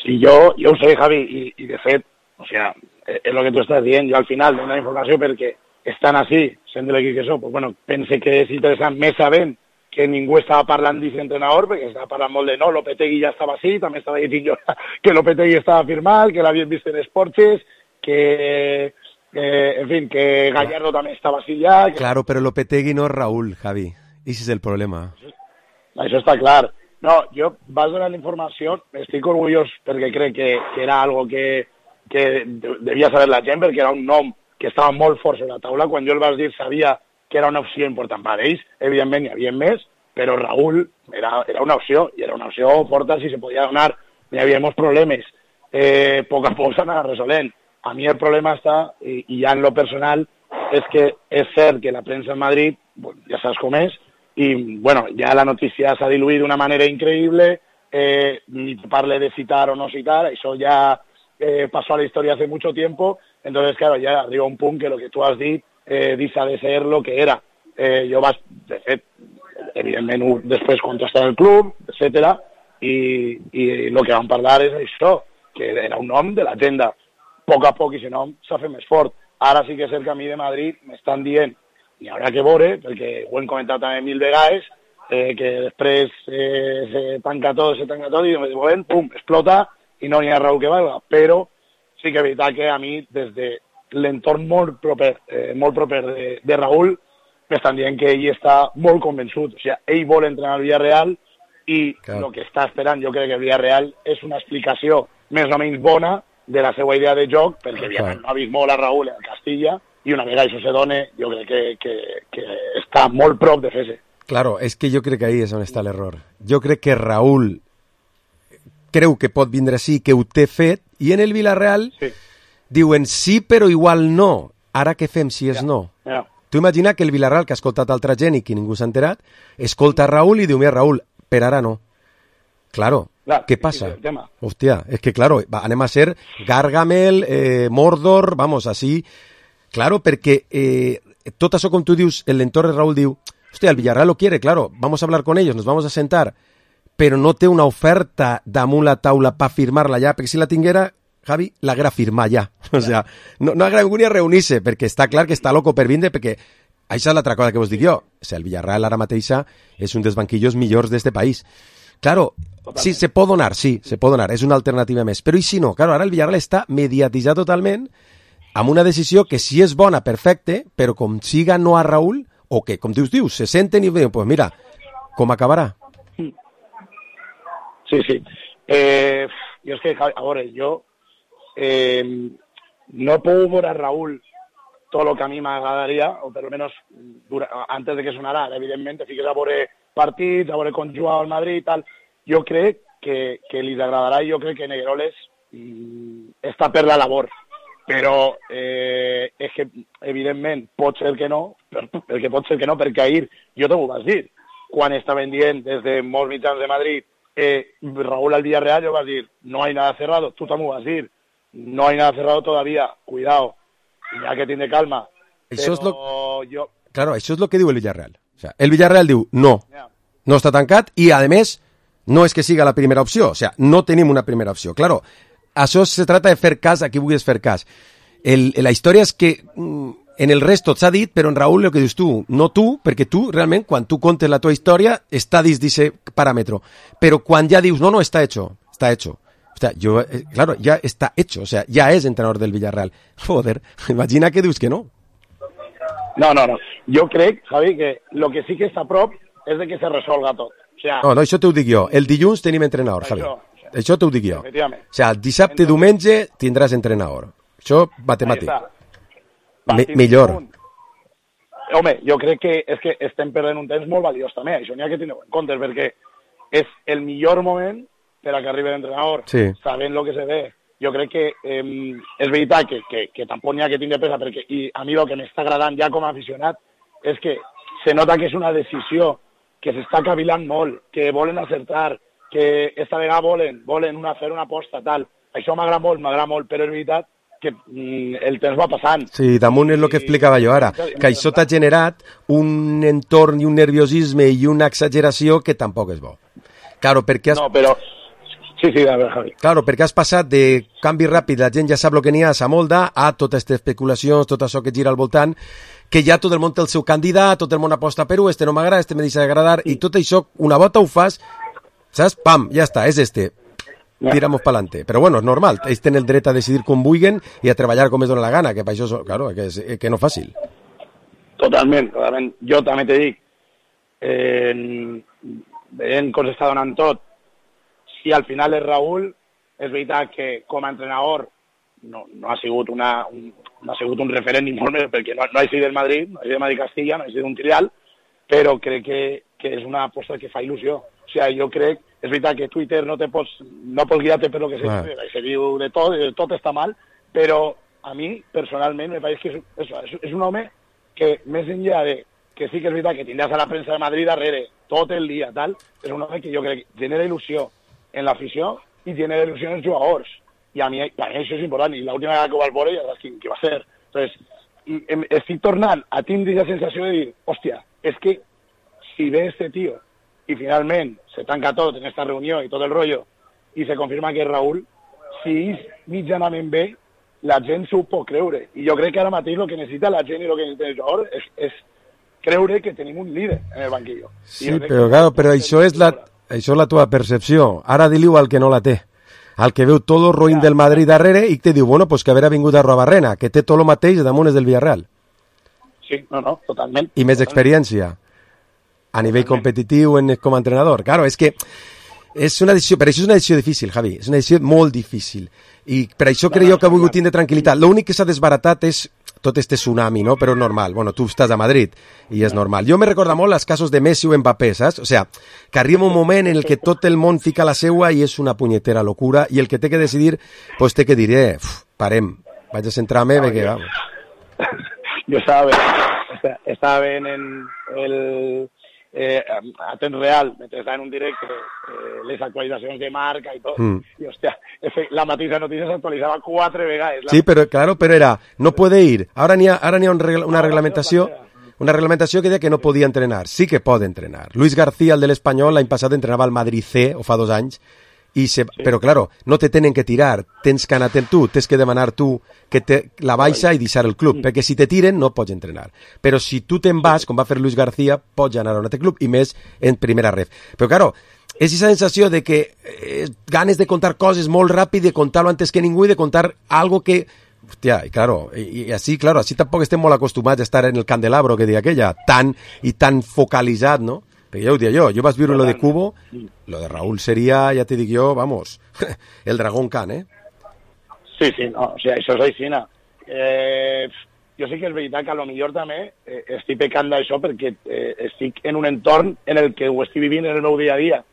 Sí, yo ho sé, Javi, y de fet, o sea, es lo que tú estás dient, jo al final dono la informació perquè estan així, sent de l'equip que són, pues bueno, pense que és interessant més sabent que ningú estava parlant d'aquest entrenador, perquè estava parlant molt de no, Lopetegui ja estava així, també estava dient jo que Lopetegui estava firmat, que l'havien vist en Esportes, que... en fin, que Gallardo també estava així ja... Que... Claro, però Lopetegui no és Raúl, Javi. Ese és el problema. Això està clar. No, jo vas donar la informació, estic orgullós perquè crec que era algo que devia saber la gent, perquè era un nom que estava molt fort sobre la taula. Quan jo el vas dir sabia que era una opció important per ells. Evidentment hi havia més, però Raúl era una opció, i era una opció forta si se podia donar. Hi havia molts problemes. A poc a poc s'anava resolent. A mi el problema està, i ja en lo personal, és que és cert que la premsa en Madrid, bueno, ja saps com és, i bueno, ja la notícia s'ha diluït d'una manera increïble, ni te parle de citar o no citar, això ja pasó a la historia hace mucho tiempo, entonces claro, ya arriba un punt que lo que tú has dit deixa de ser lo que era. Jo vas, de fet, evidentment després contestar el club, etcètera, i el que vam parlar és això, que era un nom de l'agenda. A poc a poc, i si no, s'ha fet més fort. Ara sí que és el camí de Madrid, m'estan dient, i haurà que veure, perquè ho hem comentat també 1000 vegades, que després se tanca tot, i de moment, pum, explota, i no hi ha Raúl que valga. Però sí que és veritat que a mi, des de l'entorn molt proper de Raúl, m'estan dient que ell està molt convençut. O sigui, ell vol entrenar al Villarreal, i el que està esperant, jo crec que el Villarreal és una explicació més o menys bona de la seva idea de joc, perquè no ha vist molt a Raúl en Castilla, i una vegada això se dona, jo crec que està molt prop de fer-se. Claro, és que jo crec que ahí és on està l'error. Jo crec que Raúl creu que pot vindre així, que ho té fet, i en el Villarreal diuen sí, però igual no. Ara què fem si és no? Tu imagina que el Villarreal, que ha escoltat altra gent i que ningú s'ha enterat, escolta Raúl i diu, mira, Raúl, per ara no. Claro, ¿qué pasa? Hostia, es que claro, anem a ser Gargamel, Mordor, vamos, así. Claro, perquè tot això, com tu dius, l'entorn de Raúl diu, hostia, el Villarreal lo quiere, claro, vamos a hablar con ellos, nos vamos a sentar, però no té una oferta damunt la taula per firmar-la ja, perquè si la tinguera, Javi, l'haguera firmat ja. O sea, no haguera ningú ni a reunir-se, perquè està clar que està loco per vindre, perquè això és l'altra cosa que vos dic jo. O sea, el Villarreal ara mateixa és un dels banquillos millors d'este país. Claro, sí, se pot donar, és una alternativa més. Però i si no? Claro, ara el Villarreal està mediatitzat totalment amb una decisió que si és bona, perfecte, però com siga no a Raúl, o que, com dius, se senten i diuen, pues mira, com acabarà? Sí. Jo és que, a veure, jo no puedo ver a Raúl todo lo que a mí me agradaría, o por lo menos antes de que sonara, evidentment, fiques a veure partits, a veure com juga al Madrid i tal. Jo crec que li agradarà i jo crec que Negreroles està per la labor. Però és que, evidentment, pot ser que no, perquè ahir, jo t'ho vas dir, quan estaven dient des de molts mitjans de Madrid Raúl al Villarreal, yo vas a decir, no hay nada cerrado, tú también vas a decir, no hay nada cerrado todavía, cuidado, ya que tiene calma. Això és Claro, això és el que diu el Villarreal. O sea, el Villarreal diu, no està tancat i, a més, no és que siga la primera opció, o sea, no tenim una primera opció. Claro, això se trata de fer cas a qui vulguis fer cas. La història és que en el resto s'ha dit, però en Raúl el que dius tu, no tu, perquè tu realment quan tu contes la tua història està dins d'aquest paràmetre, però quan ja dius no, està hecho. O sea, claro, ya está hecho, o sea, ya es entrenador del Villarreal. Joder, imagina que dius que no. No. Jo crec, Javi, que lo que sí que està a prop és de que se resolga tot. O sea, no, això t'ho dic jo. El dilluns tenim entrenador, Javi. Això t'ho dic jo. O sea, el dissabte, diumenge tindràs entrenador. Això, matemàtic. Millor. Home, jo crec que és que estem perdent un temps molt valiós també, això n'hi ha que tenir en compte, perquè és el millor moment per a que arribi l'entrenador, sabent el que se ve. Jo crec que és veritat que tampoc n'hi ha que tindre pressa, perquè a mi el que m'està agradant ja com a aficionat és que se nota que és una decisió que s'està cavilant molt, que volen acertar, que esta vegada volen fer una aposta, tal. Això m'agrada molt, però és veritat que el temps va passant. Sí, damunt és el que explicava jo ara, que això t'ha generat un entorn i un nerviosisme i una exageració que tampoc és bo. Claro, perquè No, però... Sí, a veure, Javi. Claro, perquè has passat de canvi ràpid, la gent ja sap el que n'hi ha, s'amolda, a totes aquestes especulacions, tot això que gira al voltant, que ja tot el món té el seu candidat, tot el món aposta per este no m'agrada, este me deixa d'agradar, i tot això, una volta ho fas, saps? Pam, ja està, és este. Tiramos pa'lante. Però bueno, és normal, ells tenen el dret a decidir com vulguin i a treballar com es dona la gana, que per això, claro, que no és fàcil. Totalment. Jo també te dic, veient com s'està donant tot, si al final és Raúl, és veritat que com a entrenador no ha sigut un referent ni molt més, perquè no ha sigut del Madrid, no ha sigut del Madrid-Castilla, no ha sigut un trial, però crec que és una aposta que fa il·lusió. O sigui, jo crec, és veritat que Twitter no pots guiar-te per lo que se diu de tot està mal, però a mi, personalment, me pareix que és un home que, més enllà de que sí que és veritat que tindràs a la premsa de Madrid darrere tot el dia, tal, és un home que jo crec que genera il·lusió en l'afició i genera il·lusió en els jugadors. I a mi això és important, i l'última vegada que ho vas veure ja saps qui va ser. Entonces, estic tornant a tindre la sensació de dir, hòstia, és que si ve este tío i finalment se tanca tot en esta reunió i tot el rollo i se confirma que és Raúl, si és mitjanament bé, la gent s'ho pot creure. I jo crec que ara mateix el que necessita la gent i el que necessita el jugador és creure que tenim un líder en el banquillo. Sí, però això és la tua percepció. Ara di-li-ho al que no la té. Al que veu tot el roïn del Madrid darrere i te diu, bueno, pues que haver vingut a Robarrena, que té tot el mateix damunt és del Villarreal. Sí, no, totalment. I més experiència a nivell competitiu com a entrenador. Claro, és que és una decisió, per això és una decisió difícil, Javi, és una decisió molt difícil. I per això crec jo que ha volgut tindre tranquil·litat. L'únic que s'ha desbaratat és tot este tsunami, no? Però normal. Bueno, tu estàs a Madrid i és normal. Jo me recorda molt els casos de Messi o Mbappé, saps? O sea, que arriba un moment en el que tot el món fica la seua i és una punyetera locura i el que té que decidir, pues té que dir, parem, vaig a centrar-me, perquè vamos. Jo estava veient en el a temps real, mentre estava en un directe, les actualitzacions de marca i tot, i hòstia, la mateixa notícia s'actualitzava 4 vegades. Sí, però claro, però era, no puede ir. Ara n'hi ha una reglamentació que deia que no podia entrenar. Sí que pot entrenar. Luis García, el de l'Espanyol, l'any passat entrenava al Madrid C, o fa 2 anys, però claro, no te tenen que tirar, tens que anar tu, tens que demanar tu que la baixa i deixar el club, perquè si te tiren no pots entrenar, però si tu te'n vas, com va fer Luis García, pots anar a un altre club, i més en primera ref. Però claro, és aquesta sensació de que ganes de contar coses molt ràpid, de contar-lo antes que ningú i de contar algo que... Hòstia, i claro, així tampoc estem molt acostumats a estar en el candelabro, que deia aquella, tan focalitzat, no? Perquè ja ho deia jo vaig viure lo de Cubo, lo de Raúl seria, ja te dic jo, vamos, el dragón Khan, Sí, no, o sigui, això és així, jo sí que és veritat que a lo millor també estic pecant d'això perquè estic en un entorn en el que ho estic vivint en el meu dia a dia,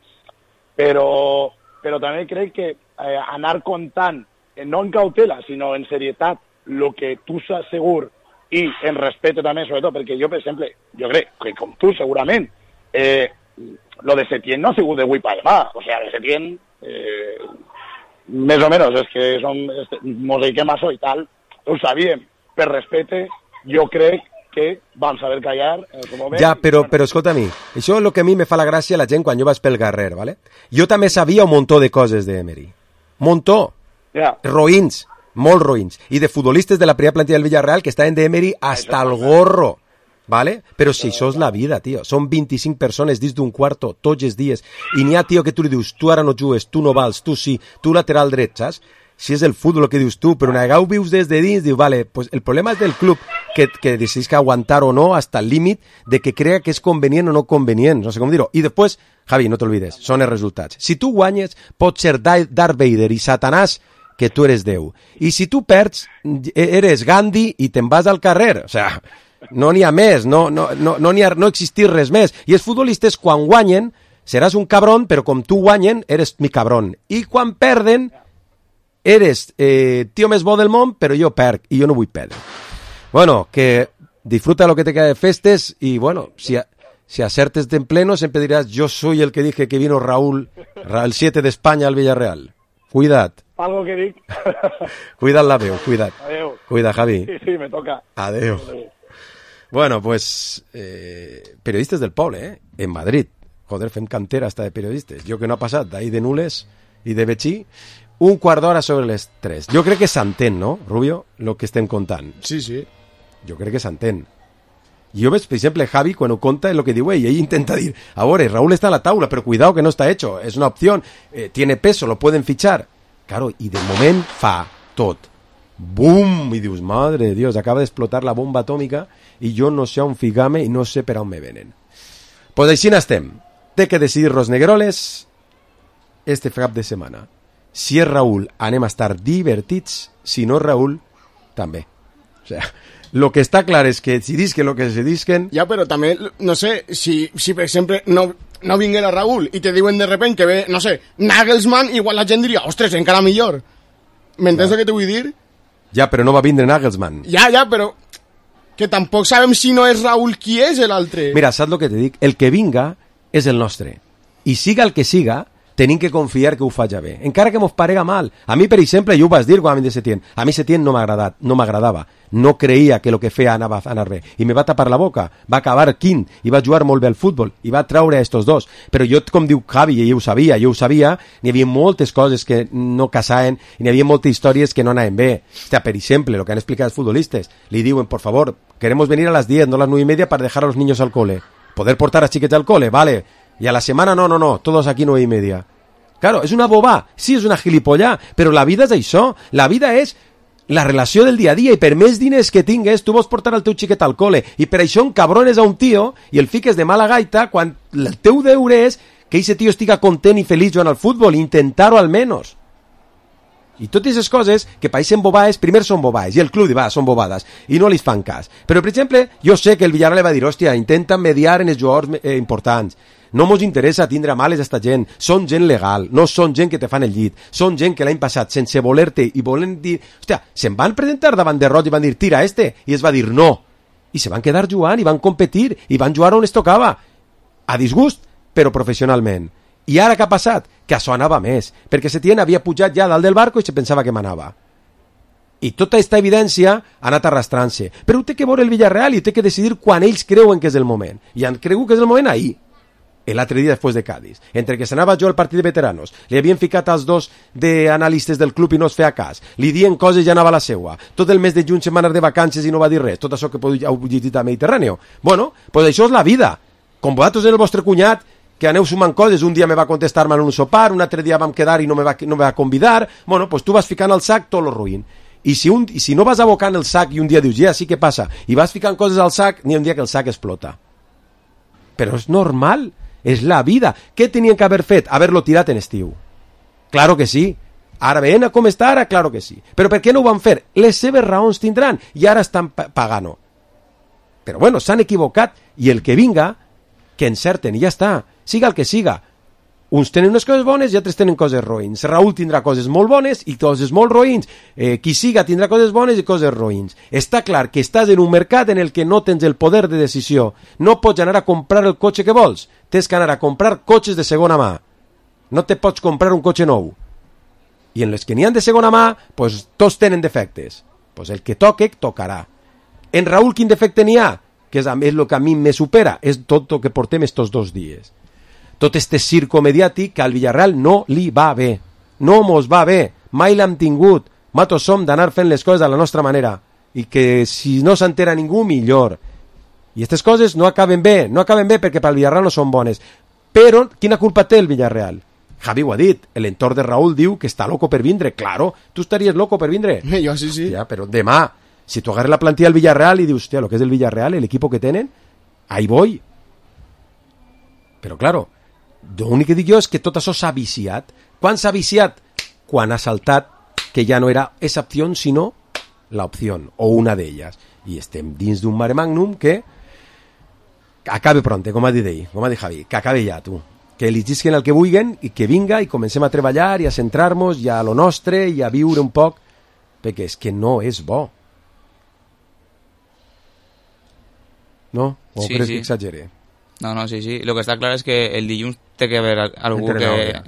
però també crec que anar contant, no en cautela, sinó en serietat, el que tu saps segur i en respecte també, sobretot, perquè jo, per exemple, jo crec que com tu segurament, lo de Setién no ha sigut de avui per demà, o sigui, de Setién, més o menys, és que mos dediquem a això i tal, ho sabíem, per respecte, jo crec que vam saber callar en el moment. Ja, però escolta a mi, això és el que a mi me fa la gràcia a la gent quan jo vaig pel Garrer, ¿vale? Jo també sabia un muntó de coses d'Emery. Muntó. Roïns, molt roïns. I de futbolistes de la primera plantilla del Villarreal que estaven d'Emery hasta el gorro. ¿Vale? Però si això és la vida, tio. Són 25 persones dins d'un quarto tots els dies. I n'hi ha, tio, que tu li dius, tu ara no jugues, tu no vals, tu sí, tu lateral dret, saps? Si és el futbol el que dius tu, però una vegada ho vius des de dins, dius, vale, pues el problema és del club que decidís que aguantar o no hasta el límit de que crea que és convenient o no convenient, no sé com dir-ho. I després, Javi, no t'olvides, són els resultats. Si tu guanyes, pot ser Darth Vader i Satanàs que tu eres Déu. I si tu perds, eres Gandhi i te'n vas al carrer. O sea, no n'hi ha més, no existir res més. I els futbolistes, quan guanyen, seràs un cabron, però com tu guanyen, eres mi cabron. I quan perden, eres tio més bo del món, però jo perc, i jo no vull perdre. Bueno, que disfruta lo que te queda de festes, y bueno, si acertes en pleno, siempre dirás, yo soy el que dije que vino Raúl, el 7 de España al Villarreal. Cuidad. Algo que dic. Cuidad la veu, cuidad. Adeu. Cuida, Javi. Sí, me toca. Adeu. Bueno, pues, periodistes del poble, en Madrid. Joder, fem cantera hasta de periodistes. Jo que no ha passat d'ahir de Nules i de Betxí, un quart d'hora sobre les 3. Jo crec que s'entén, no, Rubio, el que estem contant? Sí, sí. Jo crec que s'entén. Jo veig, per exemple, Javi, quan ho conta, el que diu ell intenta dir, a veure, Raúl está a la taula, pero cuidado que no está hecho, es una opción, tiene peso, lo pueden fichar. Claro, i de moment fa tot. Bum! I dius, madre de Dios, acaba d'explotar la bomba atòmica i jo no sé on ficar-me i no sé per on me venen. Pues així n'estem. Té que decidir los negroles este cap de setmana. Si és Raúl, anem a estar divertits. Si no és Raúl, també. O sea, lo que està clar és que si disquen lo que se disquen... Ja, però també, no sé, si per exemple no vinguera Raúl i te diuen de repente que ve, no sé, Nagelsmann, igual la gent diria, ostres, encara millor. M'entens el que te vull dir? Ja, però no va vindre Nagelsmann. Ja, però que tampoc sabem si no és Raúl qui és l'altre. Mira, saps el que te dic? El que vinga és el nostre. I siga el que siga, tenim que confiar que ho faja bé. Encara que mos parega mal. A mi, per exemple, jo ho vas dir quan vam dir Setién. A mi Setién no m'agradava. No creia que el que feia anava a anar bé. I me va tapar la boca. Va acabar quint. I va jugar molt bé al futbol. I va traure a estos dos. Però jo, com diu Javi, i jo ho sabia, n'hi havia moltes coses que no casaven i n'hi havia moltes històries que no anaven bé. Hòstia, per exemple, el que han explicat els futbolistes. Li diuen, por favor, queremos venir a las 10, no a las 9:30 para dejar a los niños al cole. Poder portar a chiquets al cole, vale. Y a la semana no, todos aquí 9:30. Claro, és una bobà, sí, és una gilipollà, però la vida és això, la vida és la relació del dia a dia, i per més diners que tingues, tu vols portar el teu xiquet al cole, i per això encabrones a un tio i el fiques de mala gaita quan el teu deure és que aquest tio estiga content i feliç jugant al futbol, intentar-ho almenys. I totes aquestes coses que pareixen bobades, primer són bobades, i el club diu, va, són bobades, i no li fan cas. Però, per exemple, jo sé que el Villarreal va dir, hòstia, intenta mediar en els jugadors importants. No mos interessa tindre males a esta gent, són gent legal, no són gent que te fan el llit, són gent que l'any passat, sense voler-te i volent dir, hòstia, se'n van presentar davant de Roig i van dir, tira este, i es va dir no, i se van quedar jugant i van competir i van jugar on es tocava, a disgust, però professionalment. I ara què ha passat? Que això anava més, perquè Setién havia pujat ja dalt del barco i se pensava que manava. I tota aquesta evidència ha anat arrastrant-se. Però ho té que veure el Villarreal i ho té que decidir quan ells creuen que és el moment. I han cregut que és el moment ahir. L'altre dia després de Cádiz, entre que s'anava jo al partit de veteranos, li havien ficat als dos d'analistes del club i no es feia cas, li dien coses i ja anava a la seua, tot el mes de juny se'n va anar de vacances i no va dir res, tot això que heu llegit a Mediterráneo. Bueno, pues això és la vida. Com vosaltres en el vostre cunyat, que aneu sumant coses, un dia me va contestar-me en un sopar, un altre dia vam quedar i no me va convidar, bueno, pues tu vas ficant al sac tot lo ruïn. I si no vas abocant el sac i un dia dius, ja, sí, què passa? I vas ficant coses al sac, n'hi ha un dia que el sac explota. Però és normal, és la vida. Què tenien que haver fet? Haver-lo tirat en estiu. Claro que sí. Ara veient com està ara, claro que sí. Però per què no ho van fer? Les seves raons tindran i ara estan pagant. Però bueno, s'han equivocat i el que vinga, que encerten i ja està, siga el que siga. Uns tenen unes coses bones i altres tenen coses roïns. Raúl tindrà coses molt bones i coses molt roïns. Qui siga tindrà coses bones i coses roïns. Està clar que estàs en un mercat en el que no tens el poder de decisió. No pots anar a comprar el cotxe que vols. Tens que anar a comprar cotxes de segona mà. No te pots comprar un cotxe nou. I en les que n'hi ha de segona mà, pues, tots tenen defectes. Pues el que toque, tocarà. En Raúl, quin defecte n'hi ha? Que és el que a mi me supera. És tot el que portem estos 2 dies. Tot este circo mediàtic que al Villarreal no li va bé. No mos va bé. Mai l'hem tingut. Matos som d'anar fent les coses a la nostra manera. I que si no s'entera ningú, millor. I aquestes coses no acaben bé. No acaben bé perquè pel Villarreal no són bones. Però, quina culpa té el Villarreal? Javi ho ha dit. L'entorn de Raúl diu que està loco per vindre. Claro, tu estaries loco per vindre. Jo sí. Ja, però demà, si tu agarres la plantilla del Villarreal i dius, hòstia, lo que és el Villarreal, el equipo que tenen, ahí voy. Però, claro, l'únic que dic jo és que tot això s'ha viciat. Quan s'ha viciat? Quan ha saltat que ja no era esa opció, sinó la opció, o una d'elles. I estem dins d'un mare magnum que acabe pronte, com ha dit ell, com ha dit Javi, que acabe ja, tu. Que eligisquen el que vulguen i que vinga i comencem a treballar i a centrar-nos i a lo nostre i a viure un poc, perquè és que no és bo. No? O sí, creus sí. que exagere? No, sí. Lo que està clar és que el dilluns té que haver algú que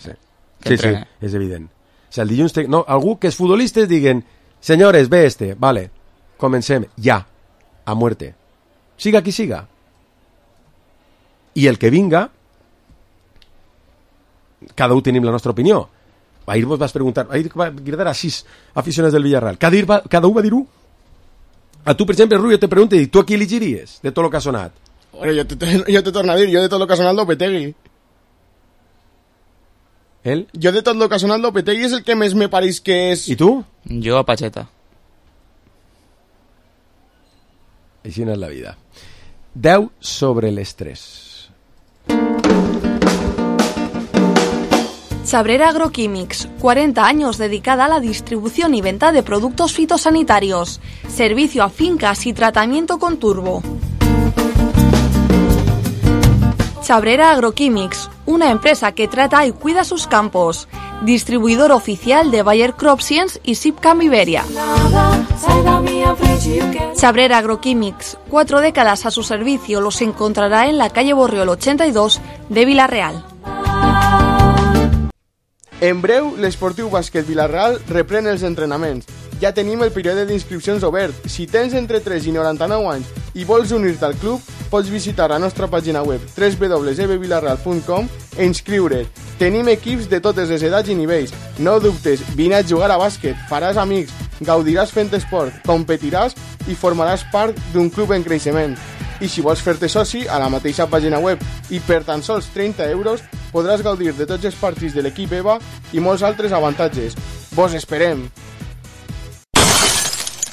Sí, és evident. O sigui, el dilluns no, algú que els futbolistes diguen, senyores, ve vale, comencem, ja, a muerte. Siga qui siga. I el que vinga, cada un tenim la nostra opinió. Ahir vos vas preguntar, ahir va cridar a 6 aficionats del Villarreal. Cada un va dir-ho. A tu, per exemple, Rubio, te pregunto, tu a qui elegiries de tot el que ha sonat? Jo te torno a dir, jo de tot el que ha sonat Lopetegui. ¿Él? Jo de tot el que ha sonat Lopetegui és el que més me pareix que és... I tu? Jo a Pacheta. Així no és la vida. 10 sobre les 3. Chabrera Agroquímics, 40 años dedicada a la distribución y venta de productos fitosanitarios, servicio a fincas y tratamiento con turbo. Chabrera Agroquímics, una empresa que trata y cuida sus campos, distribuidor oficial de Bayer Crop Science y Sipcam Iberia. Chabrera Agroquímics, 4 décadas a su servicio, los encontrará en la calle Borriol 82 de Vila-real. En breu, l'Esportiu Bàsquet Vila-real reprèn els entrenaments. Ja tenim el període d'inscripcions obert. Si tens entre 3 i 99 anys i vols unir-te al club, pots visitar la nostra pàgina web www.ebvilarreal.com e inscriure't. Tenim equips de totes les edats i nivells. No dubtes, vine a jugar a bàsquet, faràs amics, gaudiràs fent esport, competiràs i formaràs part d'un club en creixement. I si vols fer-te soci, a la mateixa pàgina web i per tan sols 30 euros podràs gaudir de tots els partits de l'equip EVA i molts altres avantatges. Vos esperem!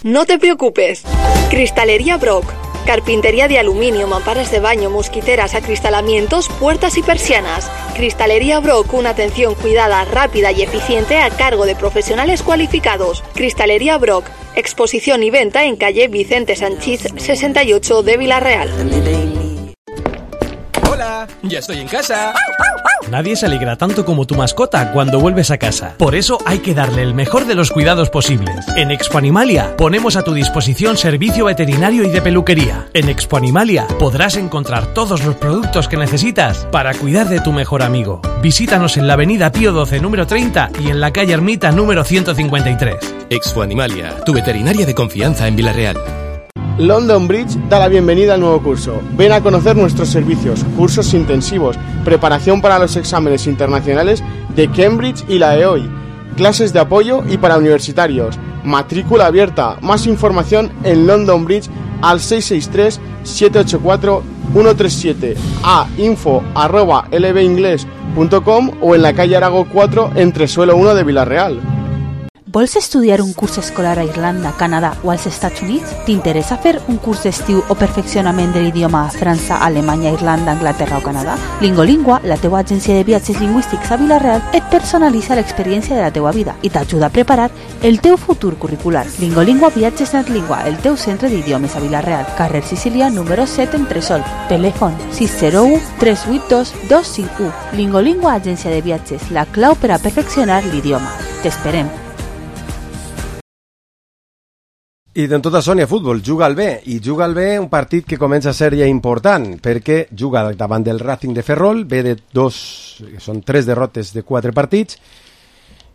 No te preocupes. Cristalería Brock. Carpintería de aluminio, mamparas de baño, mosquiteras, acristalamientos, puertas y persianas. Cristalería Brock, una atención cuidada, rápida y eficiente a cargo de profesionales cualificados. Cristalería Brock, exposición y venta en calle Vicente Sanchís 68 de Vila-real. Hola, ya estoy en casa. Nadie se alegra tanto como tu mascota cuando vuelves a casa. Por eso hay que darle el mejor de los cuidados posibles. En Expo Animalia ponemos a tu disposición servicio veterinario y de peluquería. En Expo Animalia podrás encontrar todos los productos que necesitas para cuidar de tu mejor amigo. Visítanos en la avenida Pío XII número 30 y en la calle Ermita número 153. Expo Animalia, tu veterinaria de confianza en Vila-real. London Bridge da la bienvenida al nuevo curso. Ven a conocer nuestros servicios, cursos intensivos, preparación para los exámenes internacionales de Cambridge y la EOI, clases de apoyo y para universitarios, matrícula abierta. Más información en London Bridge al 663 784 137 a info@lbingles.com o en la calle Arago 4 entre suelo 1 de Villarreal. Vols estudiar un curs escolar a Irlanda, Canadà o als Estats Units? T'interessa fer un curs d'estiu o perfeccionament de l'idioma a França, Alemanya, Irlanda, Anglaterra o Canadà? Lingolingua, la teua agència de viatges lingüístics a Villarreal, et personalitza l'experiència de la teua vida i t'ajuda a preparar el teu futur curricular. Lingolingua Viatges Natlingua, el teu centre d'idiomes a Villarreal, carrer Sicília, número 7 en Tresol. Telèfon 601 382 251. Lingolingua Agència de Viatges, la clau per a perfeccionar l'idioma. T'esperem. I d'en tota Sònia Futbol juga al B, i juga al B un partit que comença a ser ja important, perquè juga davant del Racing de Ferrol, ve de són 3 derrotes de 4 partits,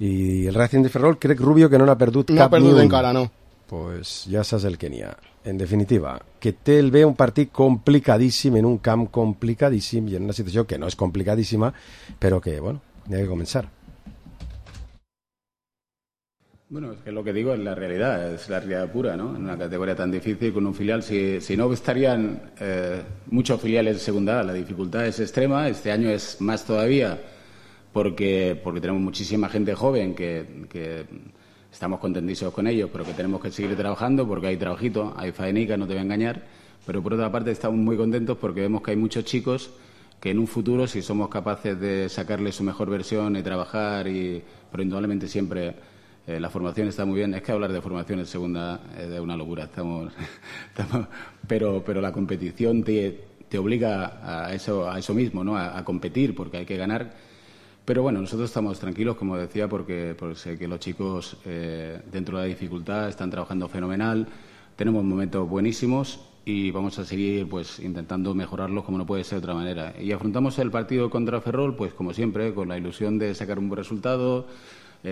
i el Racing de Ferrol crec, Rubio, que no n'ha perdut cap ni un. No ha perdut encara, no. Pues ja saps el que n'hi ha. En definitiva, que té el B un partit complicadíssim, en un camp complicadíssim, i en una situació que no és complicadíssima, però que, bueno, n'hi ha que començar. Bueno, es que lo que digo es la realidad pura, ¿no? En una categoría tan difícil con un filial, si no estarían muchos filiales en segunda, la dificultad es extrema. Este año es más todavía porque tenemos muchísima gente joven que estamos contentísimos con ellos, pero que tenemos que seguir trabajando porque hay trabajito, hay faenica, no te voy a engañar. Pero por otra parte estamos muy contentos porque vemos que hay muchos chicos que en un futuro, si somos capaces de sacarle su mejor versión y trabajar, pero indudablemente siempre... la formación está muy bien. Es que hablar de formación en segunda es de una locura. Pero la competición te obliga a eso mismo, ¿no? A competir, porque hay que ganar. Pero bueno, nosotros estamos tranquilos, como decía, porque sé que los chicos, dentro de la dificultad, están trabajando fenomenal. Tenemos momentos buenísimos y vamos a seguir pues intentando mejorarlos como no puede ser de otra manera. Y afrontamos el partido contra Ferrol, pues como siempre, con la ilusión de sacar un buen resultado.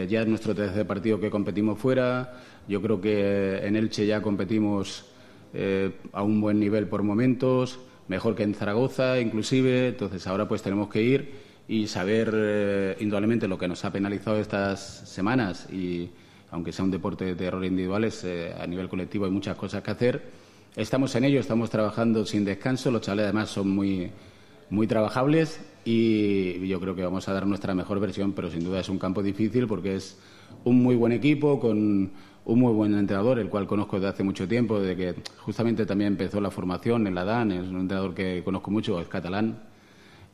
Ya es nuestro tercer partido que competimos fuera. Yo creo que en Elche ya competimos a un buen nivel por momentos, mejor que en Zaragoza inclusive. Entonces ahora pues tenemos que ir y saber indudablemente lo que nos ha penalizado estas semanas, y aunque sea un deporte de errores individuales, a nivel colectivo hay muchas cosas que hacer. Estamos en ello, estamos trabajando sin descanso. Los chavales además son muy trabajables y yo creo que vamos a dar nuestra mejor versión, pero sin duda es un campo difícil porque es un muy buen equipo con un muy buen entrenador, el cual conozco desde hace mucho tiempo, desde que justamente también empezó la formación en la DAN. Es un entrenador que conozco mucho, es catalán,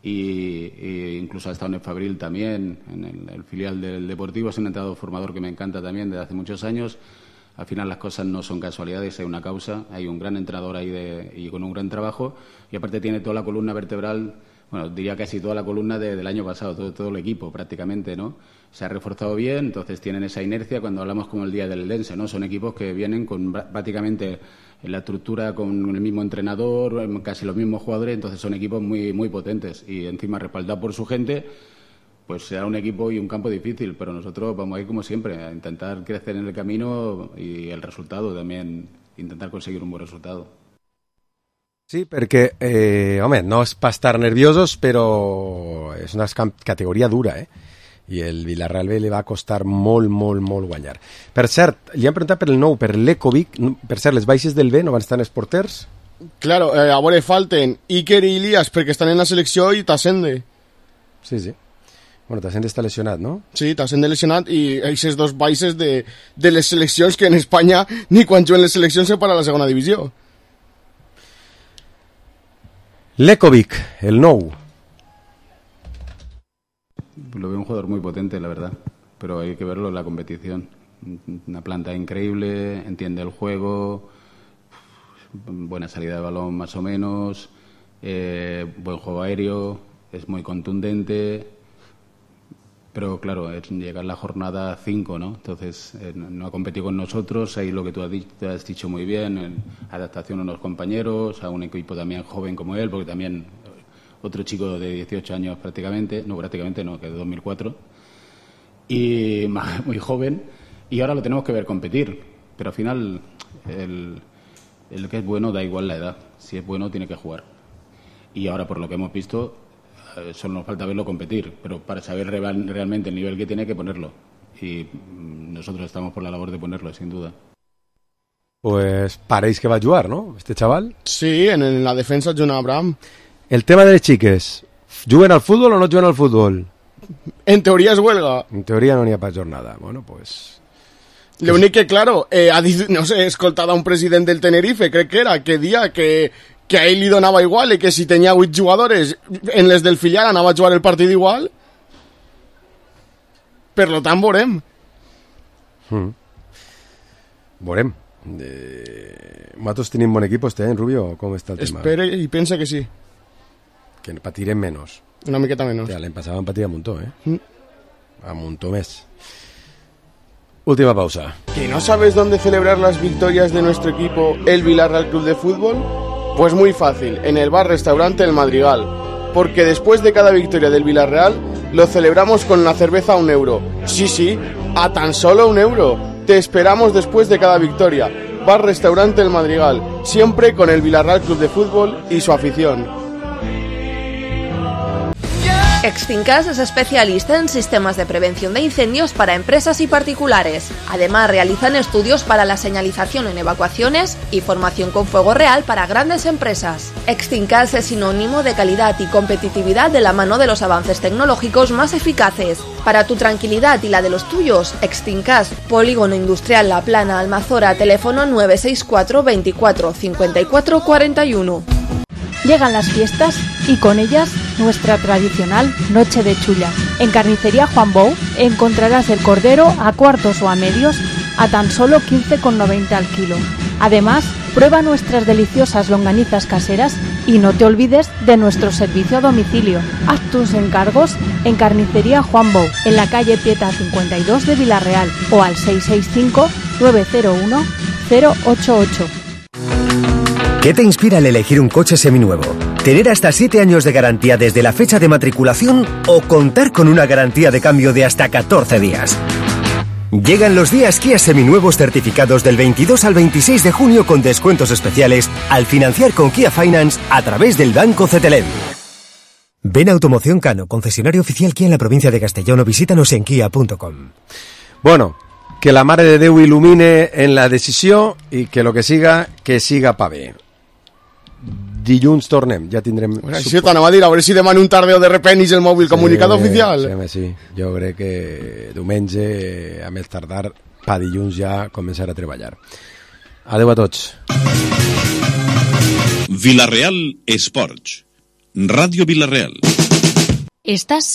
y incluso ha estado en el Fabril también, en el filial del Deportivo. Es un entrenador formador que me encanta también desde hace muchos años. Al final las cosas no son casualidades, hay una causa, hay un gran entrenador ahí y con un gran trabajo, y aparte tiene toda la columna vertebral, bueno, diría casi toda la columna del año pasado, todo el equipo prácticamente, ¿no? Se ha reforzado bien, entonces tienen esa inercia cuando hablamos como el día del Eldense, ¿no? Son equipos que vienen con prácticamente la estructura con el mismo entrenador, casi los mismos jugadores, entonces son equipos muy, muy potentes y encima respaldados por su gente. Pues será un equipo y un campo difícil, pero nosotros vamos a ir como siempre, a intentar crecer en el camino y el resultado también, intentar conseguir un buen resultado. Sí, perquè, home, no és per estar nerviosos, però és una categoria dura, i el Villarreal B li va costar molt guanyar. Per cert, li han preguntat per el nou, per l'Ecovic. Per cert, les baixes del B no van estar en els porters? Claro, a veure, falten Iker i Ilias perquè estan en la selecció i Tassende. Sí. Bueno, Tassende està lesionat, no? Sí, Tassende lesionat i aquestes dos baixes de les seleccions que en Espanya ni quan juguen les seleccions se para la segona divisió. L'Ecovic, el nou. Lo veo un jugador muy potente, la verdad, pero hay que verlo en la competición. Una planta increíble, entiende el juego, buena salida de balón más o menos, buen juego aéreo, es muy contundente. Pero claro, llega la jornada 5, ¿no? Entonces no ha competido con nosotros, ahí lo que tú has dicho muy bien, adaptación a unos compañeros, a un equipo también joven como él, porque también otro chico de 18 años prácticamente no, que de 2004, y muy joven, y ahora lo tenemos que ver competir, pero al final el que es bueno da igual la edad, si es bueno tiene que jugar. Y ahora por lo que hemos visto, solo nos falta verlo competir, pero para saber realmente el nivel que tiene hay que ponerlo. Y nosotros estamos por la labor de ponerlo, sin duda. pues pareix que va jugar, ¿no? Este chaval. Sí, en la defensa John Abraham. El tema de les xiques. ¿Juguen al fútbol o no juguen al fútbol? En teoria és huelga. En teoria no n'hi ha pas jornada. Bueno, pues... L'únic que, claro, no sé, he escoltat a un president del Tenerife, crec que era, que dia que a ell li donava igual i que si tenia 8 jugadores en les del filial anava a jugar el partit igual. Per lo tant, veurem. Veurem. Nosaltres tenim bon equip, Rubio? Com està el tema? Espera i pensa que sí. Que patirem menos. Una miqueta menos. L'any passat vam patir a muntó, A muntó més. Última pausa. ¿Que no sabes dónde celebrar las victorias de nuestro equipo, el Villarreal Club de Fútbol? Pues muy fácil, en el bar-restaurante El Madrigal. Porque después de cada victoria del Villarreal, lo celebramos con una cerveza a €1. Sí, a tan solo €1. Te esperamos después de cada victoria. Bar-restaurante El Madrigal, siempre con el Villarreal Club de Fútbol y su afición. Extincas es especialista en sistemas de prevención de incendios para empresas y particulares. Además, realizan estudios para la señalización en evacuaciones y formación con fuego real para grandes empresas. Extincas es sinónimo de calidad y competitividad de la mano de los avances tecnológicos más eficaces. Para tu tranquilidad y la de los tuyos, Extincas, Polígono Industrial La Plana, Almazora, teléfono 964 24 54 41. Llegan las fiestas y con ellas nuestra tradicional noche de chulla. En Carnicería Juan Bou encontrarás el cordero a cuartos o a medios a tan solo 15,90 al kilo. Además, prueba nuestras deliciosas longanizas caseras y no te olvides de nuestro servicio a domicilio. Haz tus encargos en Carnicería Juan Bou, en la calle Pieta 52 de Villarreal o al 665 901 088. ¿Qué te inspira al elegir un coche seminuevo? ¿Tener hasta 7 años de garantía desde la fecha de matriculación o contar con una garantía de cambio de hasta 14 días? Llegan los días Kia seminuevos certificados del 22 al 26 de junio con descuentos especiales al financiar con Kia Finance a través del Banco Cetelem. Ven a Automoción Cano, concesionario oficial Kia en la provincia de Castellón o visítanos en kia.com. Bueno, que la Mare de Déu il·lumine en la decisió i que lo que siga pa bé. Dilluns tornem, ja tindrem... Això t'anava a dir, a veure si demana un tardeo de repenis el mòbil, comunicat oficial. Sí, jo crec que diumenge, a més tardar, pa dilluns ja començar a treballar. Adeu a tots. Villarreal Esports. Ràdio Villarreal. Estàs